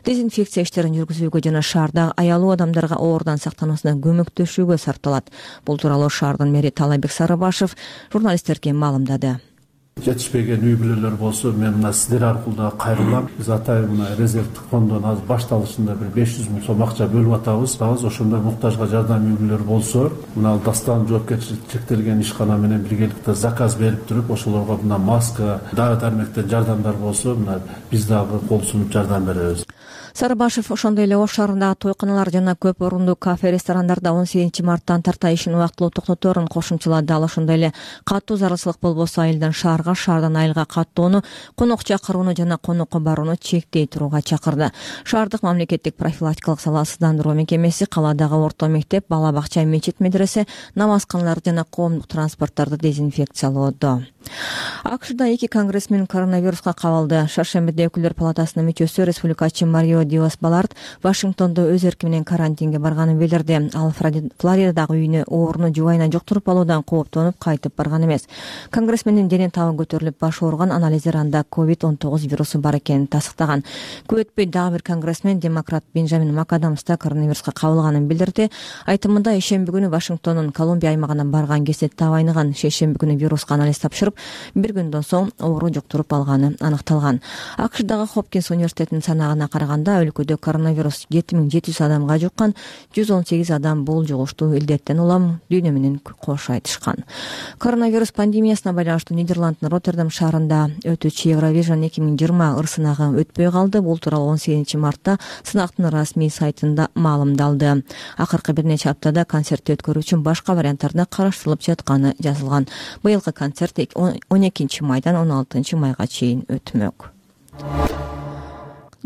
дезинфекция иштерин жүргүзүүгө жана шаарда аялуу адамдарга оорудан сактануусуна көмөктөшүүгө сарпталат. Бул тууралуу шаардын мэри Талайбек Сарыбашев журналисттерге маалымдады. Жетишпеген үй бүлөлөр болсо, мен мына сиздер аркылуу кайрылам. Биз атайын мына резервдик фонддон азыр башталышында бир 500 000 сом акча бөлүп атабыз. Ошондой муктажга жардам үй бүлөлөр болсо, мына дастан жоопкерчиликти чектелген ишкана менен биргеликте заказ берип туруп, ошолорго мына маска, дары дармектен жардамдар болсо, мына биз дагы кол сунуп жардам беребиз. Сарыбашев ошондой эле Ош шаарындагы тойканалар жана көп орундуу кафе ресторандарда 18 марттан тарта ишин убактылуу токтоторун кошумчалады. Ал ошондой эле катуу зарылчылык болбосо айылдан шаарга, шаардан айылга каттоону, конок чакырууну жана конокко барууну чектей турууга чакырды. Шаардык мамлекеттик профилактикалык салаатсыздандыруу мекемеси калаадагы орто мектеп, бала бакча, мечит, медресе, намазканалар жана коомдук транспорттарды дезинфекциялоодо. АКШда 2 конгрессмен коронавируска кабылды. Шаршембиде өкүлдөр палатасынын мүчөсү республикачы Марио Диас-Баларт Вашингтондо өз эрки менен карантинге барганын билдирди. Ал Флоридадагы үйүнө ооруну жубайынан жуктуруп алуудан кооптонуп кайтып барган эмес. Конгрессмендин дене табы көтөрүлүп, баш ооруган, анализдер анда COVID-19 вирусу бар экенин тастыктаган. Көп өтпөй дагы бир конгрессмен, демократ Бенджамин МакАдамс да коронавируска кабылганын билдирди. Айтымында ишемби күнү Вашингтондун Колумбия аймагына барган кезде табы айныган. Шейшемби күнү вируска анализ тапшырып, бир күндөн соң оору жуктуруп алганы аныкталган. АКШдагы Хопкинс университетинин санаагына караганда өлкөдө коронавирус 7700 адамга жуккан, 118 адам бул жугуштуу илдеттен улам дүйнө менен кош айтышкан. Коронавирус пандемиясына байланыштуу Нидерланддын Роттердам шаарында өтүүчү Евровижн 2020 ырсынагы өтпөй калды. Бул тууралуу 18 мартта сынактын расмий сайтында маалымдалды. Акыркы бир нече аптада концертти өткөрүү үчүн башка варианттарды караштырылып жатканы жазылган. Быйылкы концерт 12 майдан 16 майга чейин өтмөк.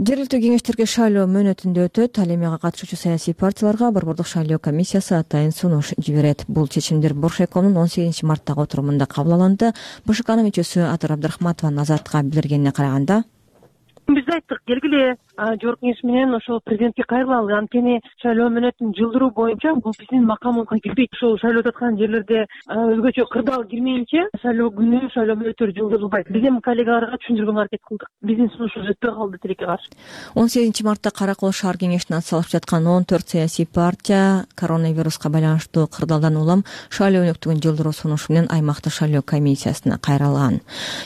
Жергиликтүү кеңештерге шайлоо мөөнөтүндө өтөт. Ал эми ага катышуучу саясий партияларга борбордук шайлоо комиссиясы атайын сунуш жиберет. Бул чечимдер Боршайкомдун 18 марттагы отурумунда кабыл алынды. БШКнын мүчөсү Атыр Абдрахматованын Азаттыкка билдиргенине караганда, биз айттык, келгиле жогорку кеңеш менен ошол президентке кайрылалы. Анткени шайлоо мөөнөтүн жылдыруу боюнча бул биздин макамыбызга кирбейт. Ошол шайлоо өтүп аткан жерлерде өзгөчө кырдаал кирмейинче шайлоо күнү шайлоо мөөнөттөрү жылдырылбайт. Биз эми коллегаларга түшүндүргөнгө аракет кылдык. Биздин сунушубуз өтпөй калды тилекке каршы. 18 мартта Кара Кол шаар кеңешине атсалышып жаткан 14 саясий партия коронавируска байланыштуу кырдаалдан улам шайлоо өнөктүгүн жылдыруу сунушу менен аймактык шайлоо комиссиясына кайрылган.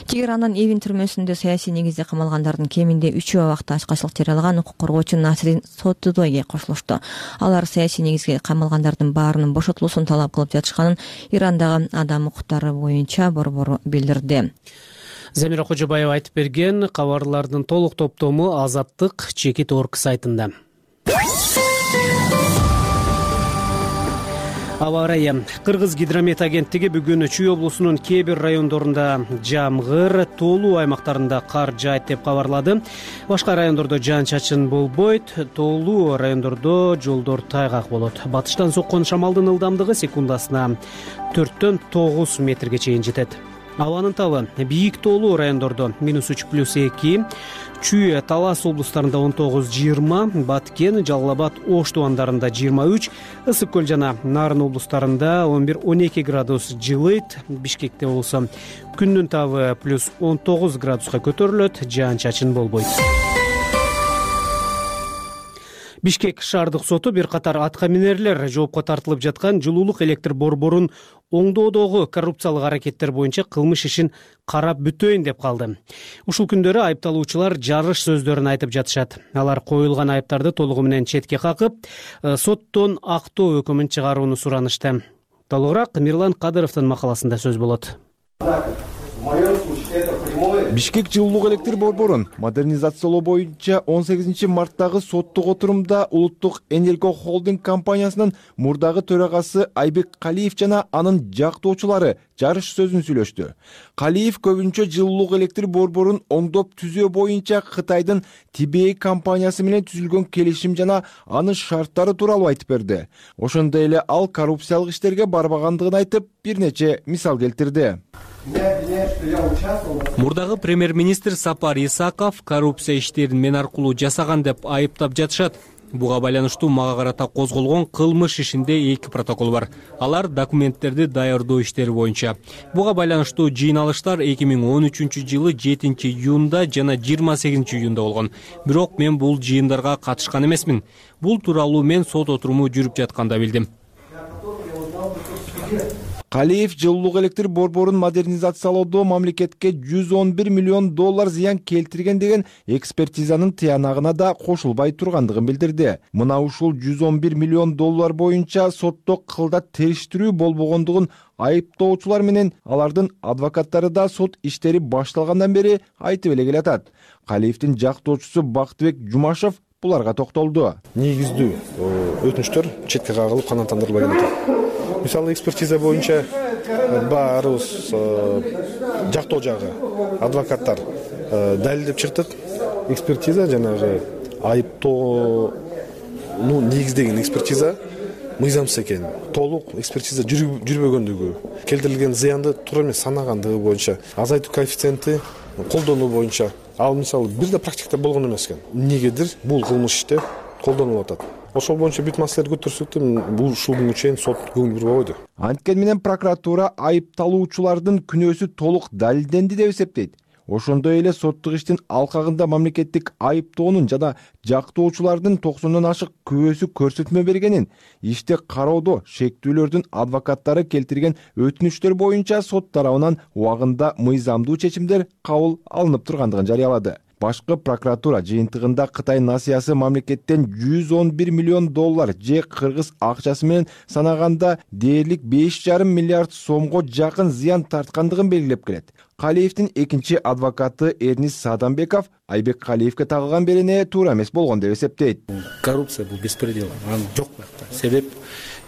Тегерандан Эвин түрмөсүндө саясий негизде камалгандардын кеминде 3 убакта ачкачылык жарыялаган укук коргоочу Насрин Сотудойге кошулушту. Алар саясий негизге камалгандардын баарынын бошотулуусун талап кылып жатышканын Ирандагы адам укуктары боюнча борбору билдирди. Замира Кожобаева айтып берген. Кабарлардын толук топтому Азаттык Чекит.org сайтында. Аба ырайы. Кыргыз гидромет агенттиги бүгүн Чүй облусунун кээ бир райондорунда жамгыр, тоолуу аймактарында кар жаайт деп кабарлады. Башка райондордо жаан-чачын болбойт, тоолуу райондордо жолдор тайгак болот. Батыштан соккон шамалдын ылдамдыгы секундасына 4-төн 9 метрге чейин жетет. Абанын табы бийик тоолуу райондордо -3+2, Чүй, Талас облустарында 19-20, Баткен, Жалал-Абад, Ош тубандарында 23, Ысык көл жана Нарын облустарында 11-12 градус жылыйт. Бишкекте болсо күндүн табы +19 градуска көтөрүлөт, жаан-чачын болбойт. Бишкек шаардык соту бир катар атка минерлер жоопко тартылып жаткан жылуулук электр борборун оңдоодогу коррупциялык аракеттер боюнча кылмыш ишин карап бүтөйүн деп калды. Ушул күндөрү айыпталуучулар жарыш сөздөрүн айтып жатышат. Алар коюлган айыптарды толугу менен четке какып, соттон актоо өкүмүн чыгарууну суранышты. Толугураак Мирлан Кадыровдун макаласында сөз болот. Бишкек жылуулук электр борборун модернизациялоо боюнча 18 марттагы соттук отурумда Улуттук Энерго Холдинг компаниясынын мурдагы төрагасы Айбек Калиев жана анын жактоочулары жарыш сөзүн сүйлөштү. Калиев көбүнчө жылуулук электр борборун оңдоп түзөө боюнча Кытайдын TBA компаниясы менен түзүлгөн келишим жана анын шарттары тууралуу айтып берди. Ошондой эле ал коррупциялык иштерге барбагандыгын айтып, бир нече мисал келтирди. Мурдагы премьер-министр Сапар Исаков коррупция иштерин мен аркылуу жасаган деп айыптап жатышат. Буга байланыштуу мага карата козголгон кылмыш ишинде 2 протокол бар. Алар документтерди даярдоо иштери боюнча. Буга байланыштуу жыйналыштар 2013 жылы 7 июнда жана 28 июнда болгон. Бирок мен бул жыйындарга катышкан эмесмин. Бул тууралуу мен сот отуруму жүрүп жатканда билдим. Калиев жылуулук электр борборун модернизациялоодо мамлекетке $111 миллион зыян келтирген деген экспертизанын тыянагына да кошулбай тургандыгын билдирди. Мына ушул $111 миллион боюнча сотто кылдат териштирүү болбогондугун айыптоочулар менен алардын адвокаттары да сот иштери башталгандан бери айтып эле келатат. Калиевдин жактоочусу Бактыбек Жумашев буларга токтолду. Негиздүү өтүнүчтөр четке кагылып канааттандырылбаган экен. Мисалы экспертиза боюнча баарыбыз жактоо жагы адвокаттар далилдеп чыктык. Экспертиза жанагы айыптоону негиздеген экспертиза мыйзамсыз экен. Толук экспертиза жүрбөгөндүгү, келтирилген зыянды туура эмес санагандыгы боюнча, азайтуу коэффициенти колдонуу боюнча ал мисалы бир да практикада болгон эмес экен. Эмнегедир бул кылмыш иште колдонулуп атат. Ошол боюнча бүт маселелерди көтөрсөк да бул ушул күнгө чейин сот көңүл бурбабойду. Анткени менен прокуратура айыпталуучулардын күнөөсү толук далилденди деп эсептейт. Ошондой эле соттук иштин алкагында мамлекеттик айыптоонун жана жактоочулардын 90дон ашык күбөсү көрсөтмө бергенин, ишти кароодо шектүүлөрдүн адвокаттары келтирген өтүнүчтөр боюнча сот тарабынан убагында мыйзамдуу чечимдер кабыл алынып тургандыгын жарыялады. Башкы прокуратура жыйынтыгында Кытай насыясы мамлекеттен $111 миллион же кыргыз акчасы менен санаганда дээрлик 5,5 миллиард сомго жакын зыян тарткандыгын белгилеп келет. Калиевдин экинчи адвокаты Эрнис Садамбеков Айбек Калиевге тагылган берене туура эмес болгон деп эсептейт. Коррупция бул беспредел, аны жок бакта. Себеп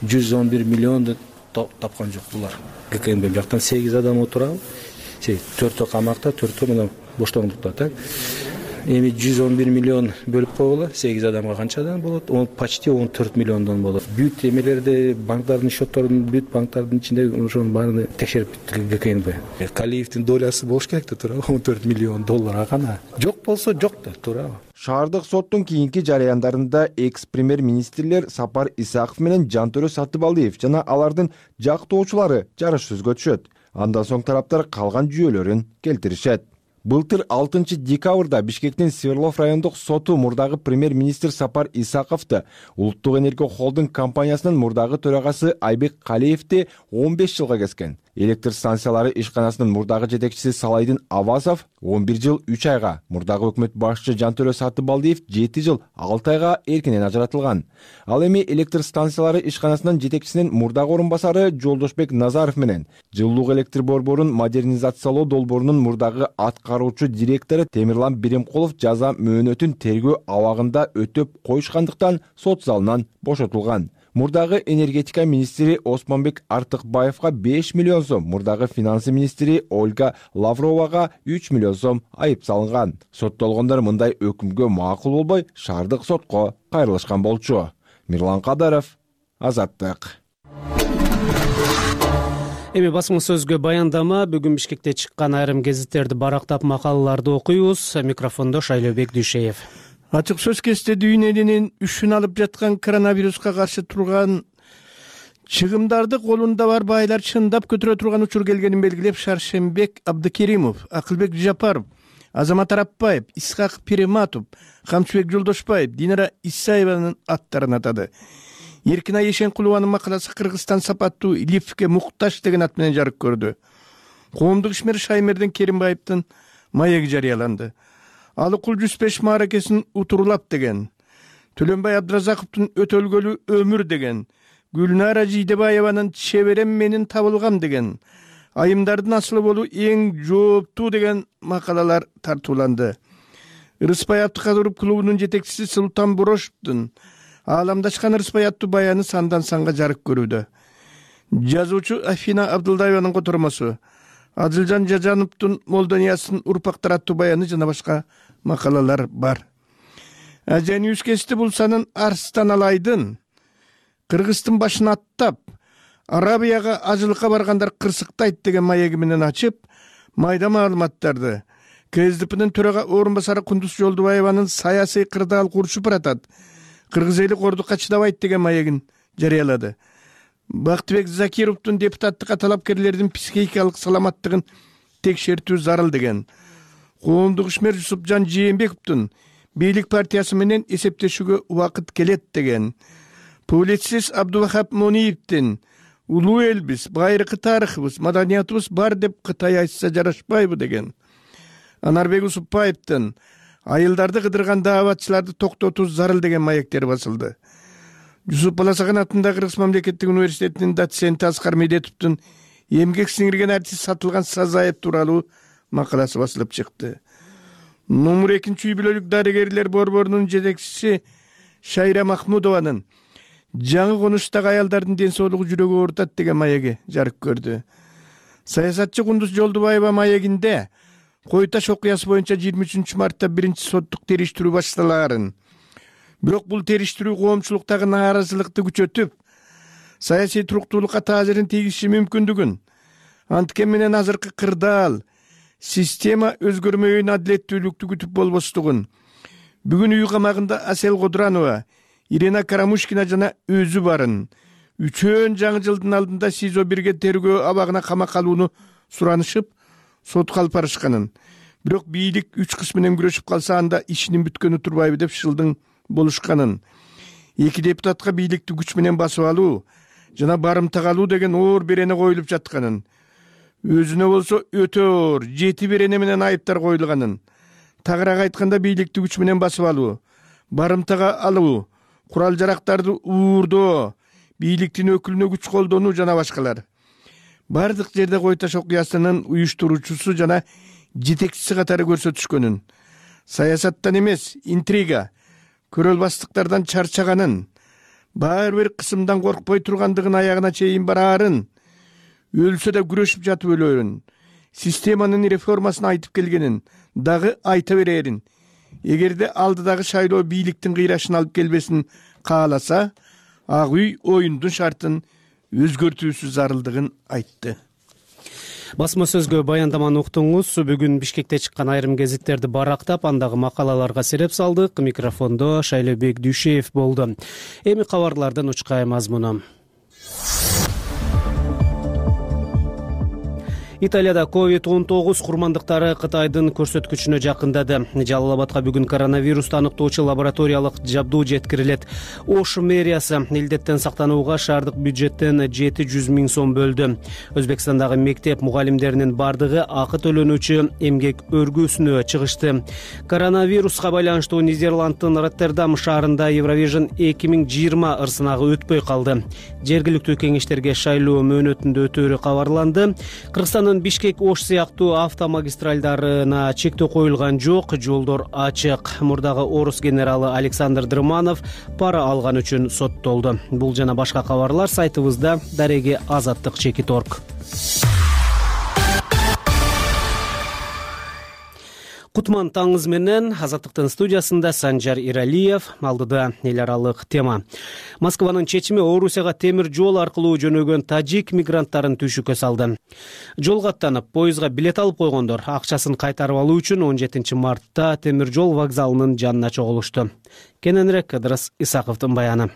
111 миллионду тапкан жок булар. ГКМБ жактан 8 адам отурабы? 4 камакта, 4 мына боштондукта, так? Эми 111 миллион бөлүп койгула, 8 адамга канча адам болот? Почти 14 миллиондон болот. Бүт эмелерди, банктардын счетторун, бүт банктардын ичинде ошонун баарын текшерип ГКМБ. Калиевдин долясы болуш керек да, туура, 14 миллион долларга гана. Жок болсо жок да, туура. Шаардык соттун кийинки жарыяндарында экс-премьер-министрлер Сапар Исаков менен Жантөрө Сатыбалдиев жана алардын жактоочулары жарыш сөзгө түшөт. Андан соң тараптар калган жүйөлөрүн келтиришет. Былтыр 6 декабрда Бишкектин Свердлов райондук соту мурдагы премьер-министр Сапар Исаковду, Улуттук энергия холдинг компаниясынын мурдагы төрагасы Айбек Калиевди 15 жылга кескен. Электр станциялары ишканасынын мурдагы жетекчиси Салайдин Авасов 11 жыл 3 айга, мурдагы өкмөт башчы Жантөрө Сатыбалдиев 7 жыл 6 айга эркинен ажыратылган. Ал эми электр станциялары ишканасынын жетекчисинин мурдагы орун басары Жолдошбек Назаров менен жылуулук электр борборун модернизациялоо долбоорунун мурдагы аткаруучу директору Темирлан Биремкулов жаза мөөнөтүн тергөө абагында өтөп коюшкандыктан сот залынан бошотулган. Мурдагы энергетика министри Осмонбек Артыкбаевга 5 миллион сом, мурдагы финансы министри Ольга Лавровага 3 миллион сом айып салынган. Соттолгондор мындай өкүмгө макул болбой, шаардык сотко кайрылышкан болчу. Мирлан Кадаров, Азаттык. Эми басма сөзгө баяндама. Бүгүн Бишкекте чыккан айрым гезиттерди барактап макалаларды окуйбуз. Микрофондо Шайлообек Дүйшеев. Ачык сөз кесте дүйнө элинин үшүн алып жаткан коронавируска каршы турган чыгымдарды колунда бар байлар чындап көтөрө турган учур келгенин белгилеп, Шаршембек Абдыкеримов, Акылбек Жапаров, Азамат Арапбаев, Исхак Пирематов, Камчыбек Жолдошбаев, Динара Исаеванын аттарын атады. Эркинай Эшенкулованын макаласы Кыргызстан сапаттуу лифтке муктаж деген ат менен жарык көрдү. Коомдук ишмер Шаймердин Керимбаевдин маеги жарыяланды. Алыкул 105 мааракесин утурлап деген, Төлөнбай Абдыразаковдун өтөлгөлү өмүр деген, Гүлнара Жийдебаеванын чеберем менин табылгам деген, айымдардын асылы болуу эң жооптуу деген макалалар тартууланды. Ырыспай Абдыкадыров клубунун жетекчиси Султан Борошовдун ааламдашкан Ырыспай аттуу баяны сандан санга жарык көрүүдө. Жазуучу Афина Абдылдаеванын котормосу, Адылжан Жажановдун Молдониясын урпактар аттуу баяны жана башка макалалар бар. Ажанюз кести булсанын Арстан Алайдын Кыргыздын башын аттап, Арабияга ажылыкка баргандар кырсыктайт деген маеги менен ачып, майда маалыматтарды КСДПнын төрага орун басары Кундуз Жолдубаеванын саясий кырдаал курушуп баратат, кыргыз эли кордукка чыдабайт деген маегин жарыялады. Бактыбек Закировдун депутаттыкка талапкерлердин психикалык саламаттыгын текшертүү зарыл деген. Коомдук ишмер Жусупжан Жээнбековдун бийлик партиясы менен эсептешүүгө убакыт келет деген. Публицист Абдувахап Мониевдин улуу элбиз, байыркы тарыхыбыз, маданиятыбыз бар деп Кытай айтса жарашпайбы деген. Анарбек Усупбаевдин айылдарды кыдырган дааватчыларды токтотуу зарыл деген маектери басылды. Жусуп Баласаган атындагы Кыргыз мамлекеттик университетинин доценти Аскар Медетовдун эмгек сиңирген артист сатылган Сазаев тууралуу макаласы басылып чыкты. Номер 2 үй бүлөлүк дарыгерлер борборунун жетекчиси Шайра Махмудованын жаңы конуштагы аялдардын ден соолугу жүрөгү оорутат деген маеги жарык көрдү. Саясатчы Кундуз Жолдубаева маегинде Кой Таш окуясы боюнча 23 мартта биринчи соттук териштирүү башталаарын, бирок бул териштирүү коомчулуктагы нааразылыкты күчөтүп, саясий туруктуулукка таасирин тийгизиши мүмкүндүгүн, анткени менен азыркы кырдаал система өзгөрмөйүн адилеттүүлүктү күтүп болбостугун бүгүн үй камагында Асел Кодуранова, Ирина Карамушкина жана өзү барын үчөөн жаңы жылдын алдында СИЗО 1ге тергөө абагына камакка алууну суранышып, сотко алып барышканын, бирок бийлик 3 кыз менен күрөшүп калса анда ишинин бүткөнү турбайбы деп шылдың болушканын, 2 депутатка бийликти күч менен басып алуу жана барымтага алуу деген оор берене коюлуп жатканын, өзүнө болсо өтө оор 7 берене менен айыптар коюлганын, тагыраак айтканда бийликти күч менен басып алуу, барымтага алуу, курал жарактарды уурдоо, бийликтин өкүлүнө күч колдонуу жана башкалар. Бардык жерде Кой Таш окуясынын уюштуруучусу жана жетекчиси катары көрсөтүшкөнүн, саясаттан эмес, интрига, көрөлбастыктардан чарчаганын, баары бир кысымдан коркпой тургандыгын аягына чейин бараарын, өлсө да күрөшүп жатып өлөрүн, системанын реформасын айтып келгенин дагы айта берерин, эгерде алдыдагы шайлоо бийликтин кыйрашын алып келбесин кааласа, Ак үй оюндун шартын өзгөртүүсү зарылдыгын айтты. Басма сөзгө баяндаманы уктуңуз. Бүгүн Бишкекте чыккан айрым гезиттерди барактап, андагы макалаларга сереп салдык. Микрофондо Шайлообек Дүйшеев болду. Эми кабарлардын учкай мазмуну. Италияда COVID-19 курмандыктары Кытайдын көрсөткүчүнө жакындады. Жалал Абадка бүгүн коронавирусту аныктоочу лабораториялык жабдуу жеткирилет. Ош мэриясы илдеттен сактанууга шаардык бюджеттен 700 000 сом бөлдү. Өзбекстандагы мектеп мугалимдеринин бардыгы акы төлөнүүчү эмгек өргүүсүнө чыгышты. Коронавируска байланыштуу Нидерланддын Роттердам шаарында Eurovision 2020 ырсынагы өтпөй калды. Жергиликтүү кеңештерге шайлоо мөөнөтүндө өтөөрү кабарланды. Кыргызстан Бишкек Ош сыяктуу автомагистралдарына чектөө коюлган жок, жолдор ачык. Мурдагы орус генералы Александр Дрыманов пара алган үчүн соттолду. Бул жана башка кабарлар сайтыбызда дареги azаттык.org. Кутман таңыз менен Азаттыктын студиясында Санжар Иралиев, алдыда эл аралык тема. Москванын чечими Орусияга темир жол аркылуу жөнөгөн тажик мигранттарын түйшүккө салды. Жолго аттанып, поездга билет алып койгондор акчасын кайтарып алуу үчүн 17 мартта темир жол вокзалынын жанына чогулушту. Кененирээк Кыдырыс Исаковдун баяны.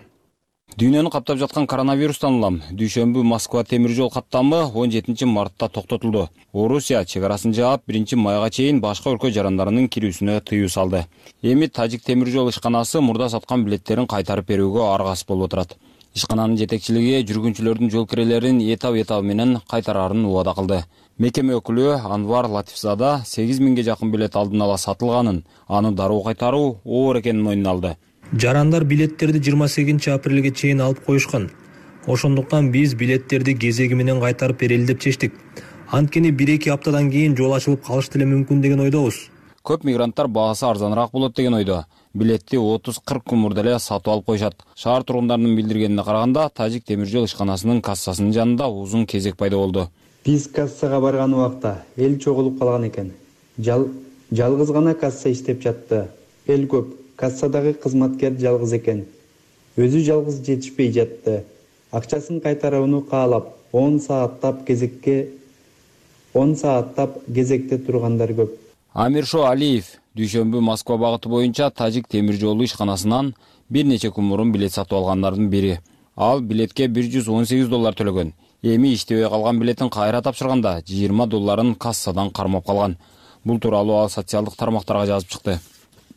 Дүйнөнү каптап жаткан коронавирустан улам дүйшөмбү Москва темир жол каттамы 17 мартта токтотулду. Орусия чек арасын жаап 1 майга чейин башка өлкө жарандарынын кирүүсүнө тыюу салды. Эми тажик темир жол ишканасы мурда саткан билеттерин кайтарып берүүгө аргасыз болуп отурат. Ишкананын жетекчилиги жүргүнчүлөрдүн жол кирелерин этап менен кайтарарын убада кылды. Мекеме өкүлү Анвар Латифзада 8000ге жакын билет алдын ала сатылганын, аны дароо кайтаруу оор экенин мойнуна алды. Жарандар билеттерди 28 апрелге чейин алып коюшкан. Ошондуктан биз билеттерди кезеги менен кайтарып берели деп чечтик. Анткени 1-2 аптадан кийин жол ачылып калышы деле мүмкүн деген ойдобуз. Көп мигранттар баасы арзаныраак болот деген ойдо. Билетти 30-40 күн мурда эле сатып алып коюшат. Шаар тургундарынын билдиргенине караганда, тажик темир жол ишканасынын кассасынын жанында узун кезек пайда болду. Биз кассага барган убакта эл чогулуп калган экен. Жалгыз гана касса иштеп жатты. Эл көп. Кассадагы кызматкер жалгыз экен. Өзү жалгыз жетишпей жатты. Акчасын кайтарууну каалап 10 сааттап кезекте тургандар көп. Амиршо Алиев дүйшөмбү Москва багыты боюнча тажик темир жолу ишканасынан бир нече күн мурун билет сатып алгандардын бири. Ал билетке $118 төлөгөн. Эми иштебей калган билетин кайра тапшырганда $20 кассадан кармап калган. Бул тууралуу ал социалдык тармактарга жазып чыкты.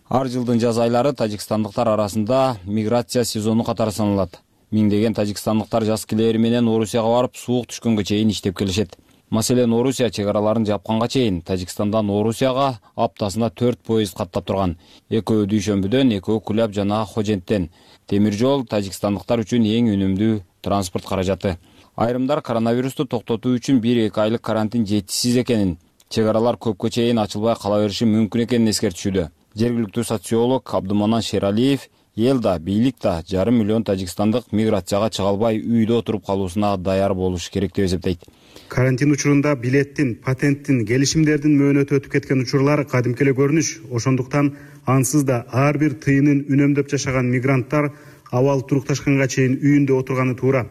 Ар жылдын жаз айлары тажикстандыктар арасында миграция сезону катары саналат. Миңдеген тажикстандыктар жаз килери менен Орусияга барып, суук түшкөнгө чейин иштеп келишет. Маселен, Орусия чек араларын жапканга чейин Тажикстандан Орусияга аптасына 4 поезд каттап турган. Экөө дүйшөмбүдөн, экөө Куляб жана Хоженттен. Темир жол тажикстандыктар үчүн эң үнөмдүү транспорт каражаты. Айрымдар коронавирусту токтотуу үчүн 1-2 айлык карантин жетишсиз экенин, Чек аралар көпкө чейин ачылбай кала бериши мүмкүн экенин эскертишүүдө. Жергиликтүү социолог Абдыманан Шералиев эл да, бийлик да 5,5 миллион тажикстандык миграцияга чыга албай үйдө отуруп калуусуна даяр болуш керек деп эсептейт. Карантин учурунда билеттин, патенттин, келишимдердин мөөнөтү өтүп кеткен учурлар кадимки эле көрүнүш. Ошондуктан ансыз да ар бир тыйынын үнөмдөп жашаган мигранттар абал турукташканга чейин үйүндө отурганы туура.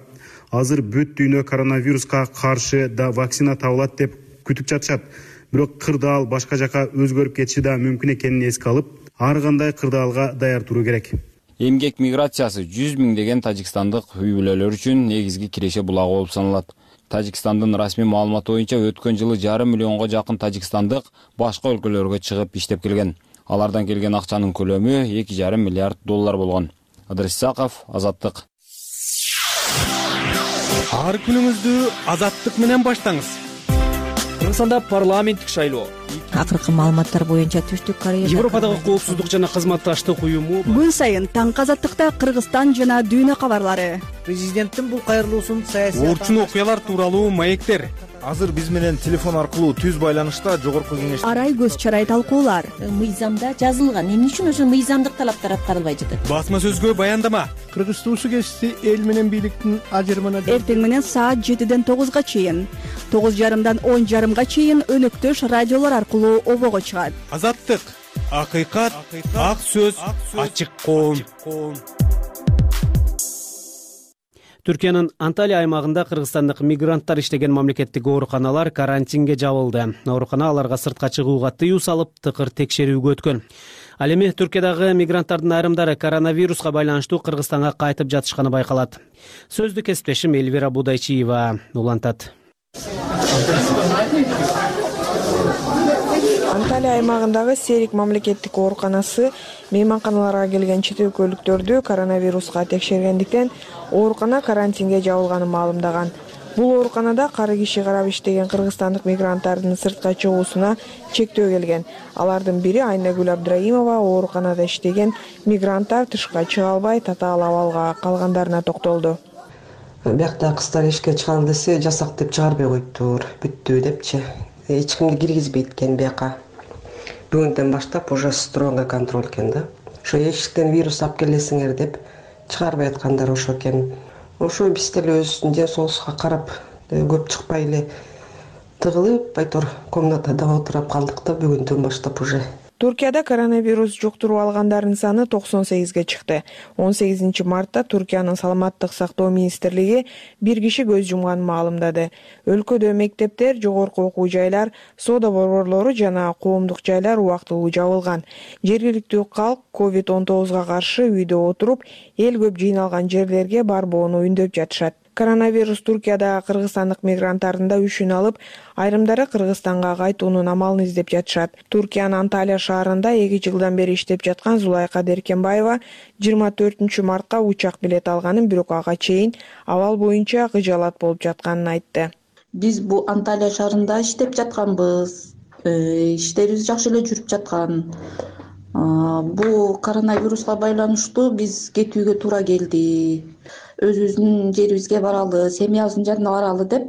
Азыр бүт дүйнө коронавируска каршы да вакцина табылат деп күтүп жатышат. Бирок кырдаал башка жака өзгөрүп кетиши да мүмкүн экенин эске алып, ар кандай кырдаалга даяр туруу керек. Эмгек миграциясы 100 миңдеген тажикстандык үй бүлөлөр үчүн негизги киреше булагы болуп саналат. Тажикстандын расмий маалыматы боюнча өткөн жылы 5,5 миллионго жакын тажикстандык башка өлкөлөргө чыгып иштеп келген. Алардан келген акчанын көлөмү 2,5 миллиард доллар болгон. Адрес Исаков, Азаттык. Ар күнүңүздү Азаттык менен баштаңыз. Кыргызстанда парламенттик шайлоо. Акыркы маалыматтар боюнча Түштүк Корея Европадагы коопсуздук жана кызматташтык уюму күн сайын таңкы Азаттыкта Кыргызстан жана дүйнө кабарлары. Президенттин бул кайрылуусун саясий орчун окуялар тууралуу маектер. Азыр биз менен телефон аркылуу түз байланышта жогорку кеңеш Арай көз чарай талкуулар. Мыйзамда жазылган, эмне үчүн ошо мыйзамдык талаптар аткарылбай жатат? Басма сөзгө баяндама. Кыргыз туусу кести эл менен бийликтин ажырымына Эртең менен саат 7ден 9га чейин, 9:30дан 10:30га чейин өнөктөш радиолор аркылуу обого чыгат. Азаттык, акыйкат, ак сөз, ачык коом. Түркиянын Анталия аймагында кыргызстандык мигранттар иштеген мамлекеттик ооруканалар карантинге жабылды. Оорукана аларга сыртка чыгууга тыюу салып, тыкыр текшерүүгө өткөн. Ал эми Түркиядагы мигранттардын айрымдары коронавируска байланыштуу Кыргызстанга кайтып жатышканы байкалат. Сөздү кесиптешим Элвира Будайчиева улантат. Анталия аймагындагы Серик мамлекеттик ооруканасы мейманканаларга келген чет өлкөлүктөрдү коронавируска текшергендиктен оорукана карантинге жабылганын маалымдаган. Бул ооруканада кары киши карап иштеген кыргызстандык мигранттардын сыртка чыгуусуна чектөө келген. Алардын бири Айнагүл Абдраимова ооруканада иштеген мигранттар тышка чыга албай татаал абалга калгандарына токтолду. Биякта кыздар эшикке чыгалы десе жасак деп чыгарбай коюптур, бүттү депчи. Эч кимди киргизбейт экен бияка. Бүгүндөн баштап уже строго контроль экен да. Ошо эшиктен вирус алып келесиңер деп чыгарбай аткандар ошо экен. Ошо биз деле өзүбүздүн ден соолугубузга карап көп чыкпай эле тыгылып, айтор комнатада отуруп калдык да бүгүндөн баштап уже. Туркияда коронавирус жуктуруп алгандардын саны 98ге чыкты. 18 мартта Туркиянын саламаттык сактоо министрлиги бир киши көз жумганын маалымдады. Өлкөдө мектептер, жогорку окуу жайлар, соода борборлору жана коомдук жайлар убактылуу жабылган. Жергиликтүү калк COVID-19га каршы үйдө отуруп, эл көп жыйналган жерлерге барбоону үндөп жатышат. Коронавирус Туркияда кыргызстандык мигранттардын да үшүн алып, айрымдары Кыргызстанга кайтуунун амалын издеп жатышат. Туркиянын Анталия шаарында 2 жылдан бери иштеп жаткан Зулайка Деркенбаева 24 мартка учак билет алганын, бирок ага чейин абал боюнча кыжалат болуп жатканын айтты. Биз бул Анталия шаарында иштеп жатканбыз. Иштерибиз жакшы эле жүрүп жаткан. Бул коронавируска байланыштуу биз кетүүгө туура келди. Өзүбүздүн жерибизге баралы, семьябыздын жанына баралы деп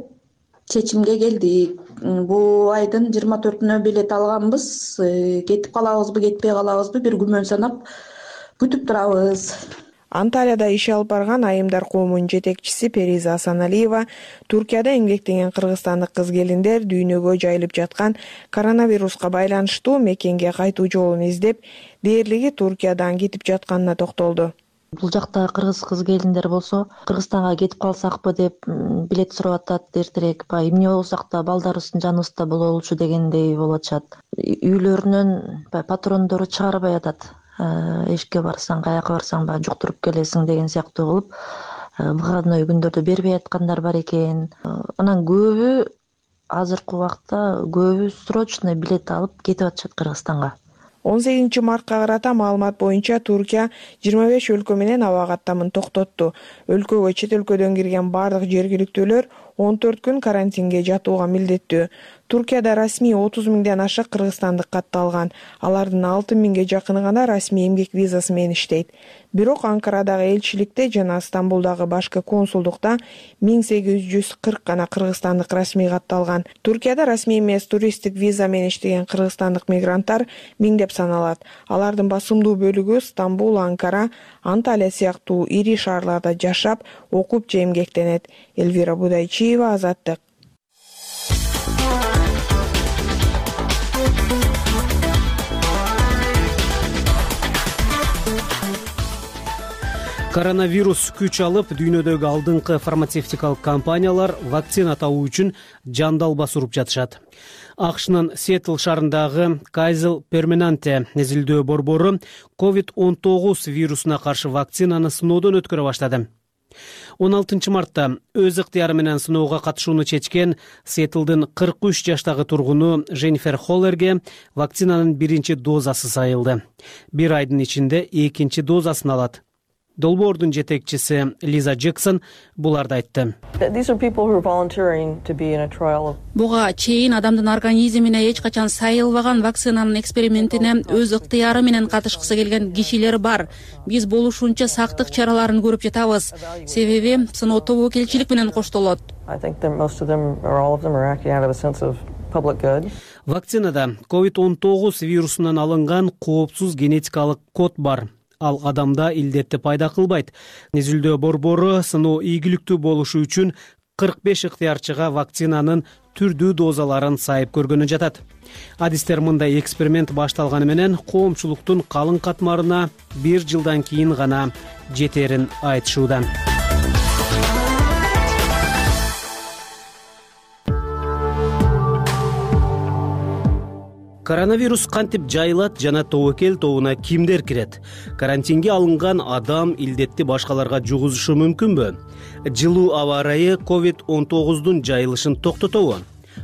чечимге келдик. Бул айдын 24-нө билет алганбыз. Кетип калабызбы, кетпей калабызбы бир күмөн санап күтүп турабыз. Анталияда иш алып барган айымдар коомунун жетекчиси Периза Асаналиева Туркияда эмгектенген кыргызстандык кыз-келиндер дүйнөгө жайылып жаткан коронавируска байланыштуу мекенге кайтуу жолун издеп, дээрлиги Туркиядан кетип жатканына токтолду. Бул жакта кыргыз кыз-келиндер болсо, Кыргызстанга кетип калсакпы деп билет сурап атат эртерээк. Эмне болсак да балдарыбыздын жаныбызда бололучу дегендей болуп атышат. Үйлөрүнөн патрондору чыгарбай атат. Эшикке барсаң, каяка барсаң жуктуруп келесиң деген сыяктуу кылып, выходной күндөрдө бербей аткандар бар экен. Анан көбү азыркы убакта көбү срочный билет алып кетип атышат Кыргызстанга. 18 мартка карата маалымат боюнча Туркия 25 өлкө менен аба каттамын токтотту. Өлкөгө чет өлкөдөн кирген бардык жергиликтүүлөр 14 күн карантинге жатууга милдеттүү. Туркияда расмий 30 миңден ашык кыргызстандык катталган. Алардын 6 миңге жакыны гана расмий эмгек визасы менен иштейт. Бирок Анкарадагы элчиликте жана Стамбулдагы башкы консулдукта 1840 гана кыргызстандык расмий катталган. Туркияда расмий эмес туристтик виза менен иштеген кыргызстандык мигранттар миңдеп саналат. Алардын басымдуу бөлүгү Стамбул, Анкара, Анталия сыяктуу ири шаарларда жашап, окуп же эмгектенет. Элвира Будайчиева, Азаттык. Коронавирус күч алып, дүйнөдөгү алдыңкы фармацевтикалык компаниялар вакцина табуу үчүн жандалбас уруп жатышат. АКШнын Сиэтл шаарындагы Kaiser Permanente незилдөө борбору COVID-19 вирусуна каршы вакцинаны сыноодон өткөрө баштады. 16 мартта өз ыктыяры менен сыноого катышууну чечкен Сиэтлдин 43 жаштагы тургуну Женнифер Холлерге вакцинанын биринчи дозасы сайылды. Бир айдын ичинде экинчи дозасын алат. Долбоордун жетекчиси Лиза Джексон буларды айтты. Буга чейин адамдын организмине эч качан сайылбаган вакцинанын экспериментине өз ыктыяры менен катышкысы келген кишилер бар. Биз болушунча сактык чараларын көрүп жатабыз. Себеби сыноо тобокелчилик менен коштолот. Вакцинада COVID-19 вирусунан алынган коопсуз генетикалык код бар. Ал адамда илдетти пайда кылбайт. Незилдөө борбору сыноо ийгиликтүү болушу үчүн 45 ыктыярчыга вакцинанын түрдүү дозаларын сайып көргөнү жатат. Адистер мындай эксперимент башталганы менен коомчулуктун калың катмарына 1 жылдан кийин гана жетерин айтышууда. Коронавирус кантип жайылат жана тобокел тобуна кимдер кирет? Карантинге алынган адам илдетти башкаларга жугузушу мүмкүнбү? Жылуу аба ырайы COVID-19дун жайылышын токтотобу?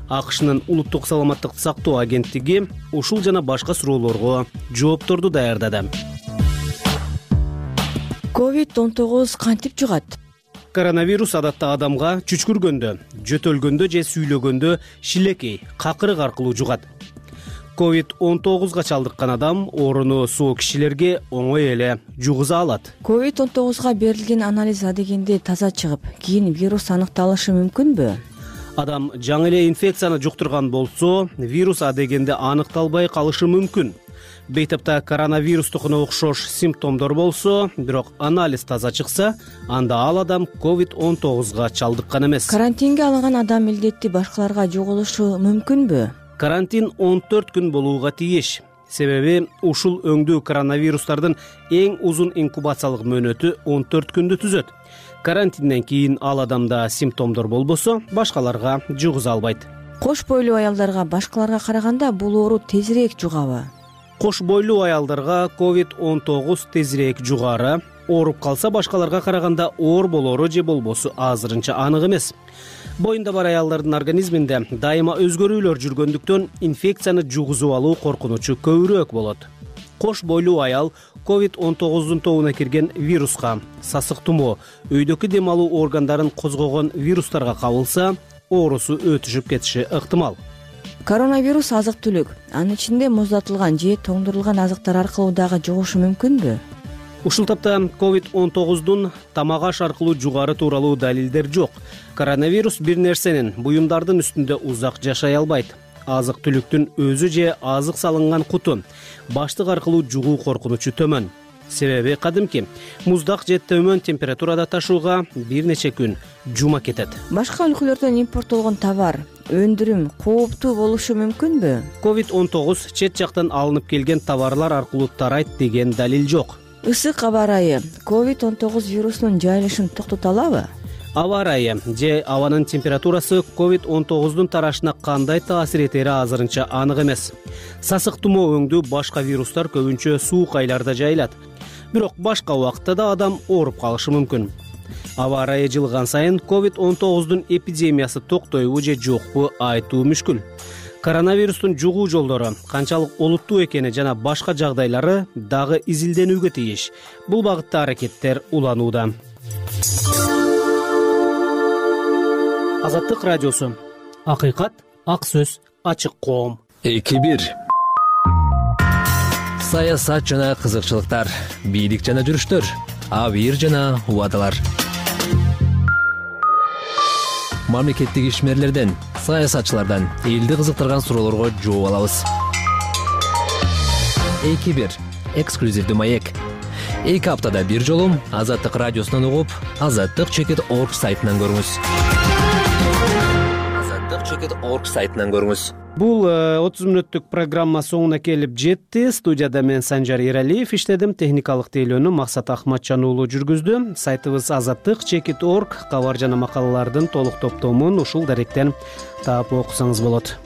АКШнын улуттук саламаттыкты сактоо агенттиги ушул жана башка суроолорго жоопторду даярдады. COVID-19 кантип жугат? Коронавирус адатта адамга чүчкүргөндө, жөтөлгөндө же сүйлөгөндө шилекей, какырык аркылуу жугат. COVID-19га чалдыккан адам ооруну соо кишилерге оңой эле жугуза алат. COVID-19га берилген анализ адегенде таза чыгып, кийин вирус аныкталышы мүмкүнбү? Адам жаңы эле инфекцияны жуктурган болсо, вирус адегенде аныкталбай калышы мүмкүн. Бейтапта коронавирустукуна окшош симптомдор болсо, бирок анализ таза чыкса, анда ал адам COVID-19га чалдыккан эмес. Карантинге алынган адам илдетти башкаларга жугулушу мүмкүнбү? Карантин 14 күн болууга тийиш. Себеби ушул өңдүү коронавирустардын эң узун инкубациялык мөөнөтү 14 күндү түзөт. Карантинден кийин ал адамда симптомдор болбосо, башкаларга жугуза албайт. Кош бойлуу аялдарга башкаларга караганда бул оору тезирээк жугабы? Кош бойлуу аялдарга COVID-19 тезирээк жугары. Ооруп калса башкаларга караганда оор болору же болбосу азырынча анык эмес. Боюнда бар аялдардын организминде дайыма өзгөрүүлөр жүргөндүктөн инфекцияны жугузуп алуу коркунучу көбүрөөк болот. Кош бойлуу аял COVID-19дун тобуна кирген вируска, сасык тумоо, өйдөкү дем алуу органдарын козгогон вирустарга кабылса, оорусу өтүшүп кетиши ыктымал. Коронавирус азык-түлүк, анын ичинде муздатылган же тоңдурулган азыктар аркылуу дагы жугушу мүмкүнбү? Ушул тапта COVID-19дун тамак аш аркылуу жугары тууралуу далилдер жок. Коронавирус бир нерсенин, буюмдардын үстүндө узак жашай албайт. Азык-түлүктүн өзү же азык салынган куту баштык аркылуу жугуу коркунучу төмөн. Себеби кадимки муздак же төмөн температурада ташууга бир нече күн жума кетет. Башка өлкөлөрдөн импорттолгон товар, өндүрүм кооптуу болушу мүмкүнбү? COVID-19 чет жактан алынып келген товарлар аркылуу тарайт деген далил жок. Ысык аба ырайы COVID-19 вирусунун жайылышын токтото алабы? Аба ырайы же абанын температурасы COVID-19дун тарашына кандай таасир этери азырынча анык эмес. Сасык тумоо өңдүү башка вирустар көбүнчө суук айларда жайылат. Бирок башка убакытта да адам ооруп калышы мүмкүн. Аба ырайы жылган сайын COVID-19дун эпидемиясы токтойбу же жокпу айтуу мүшкүл. Коронавирустун жугуу жолдору канчалык олуттуу экени жана башка жагдайлары дагы изилденүүгө тийиш. Бул багытта аракеттер уланууда. Азаттык радиосу. Акыйкат, ак сөз, ачык коом. 2-1 саясат жана кызыкчылыктар, бийлик жана жүрүштөр, абийир жана убадалар. Мамлекеттик ишмерлерден, саясатчылардан элди кызыктырган суроолорго жооп алабыз. 2-1 эксклюзивдүү маек. 2 аптада бир жолу Азаттык радиосунан угуп, azattik.org сайтынан көрүңүз. azattik.org сайтынан көрүңүз. Бул 30 мүнөттүк программа соңуна келип жетти. Студияда мен Санжар Эралиев иштедим. Техникалык тейлөөнү Максат Ахматжан уулу жүргүздү. Сайтыбыз azattik.org кабар жана макалалардын толук топтомун ушул даректен таап окусаңыз болот.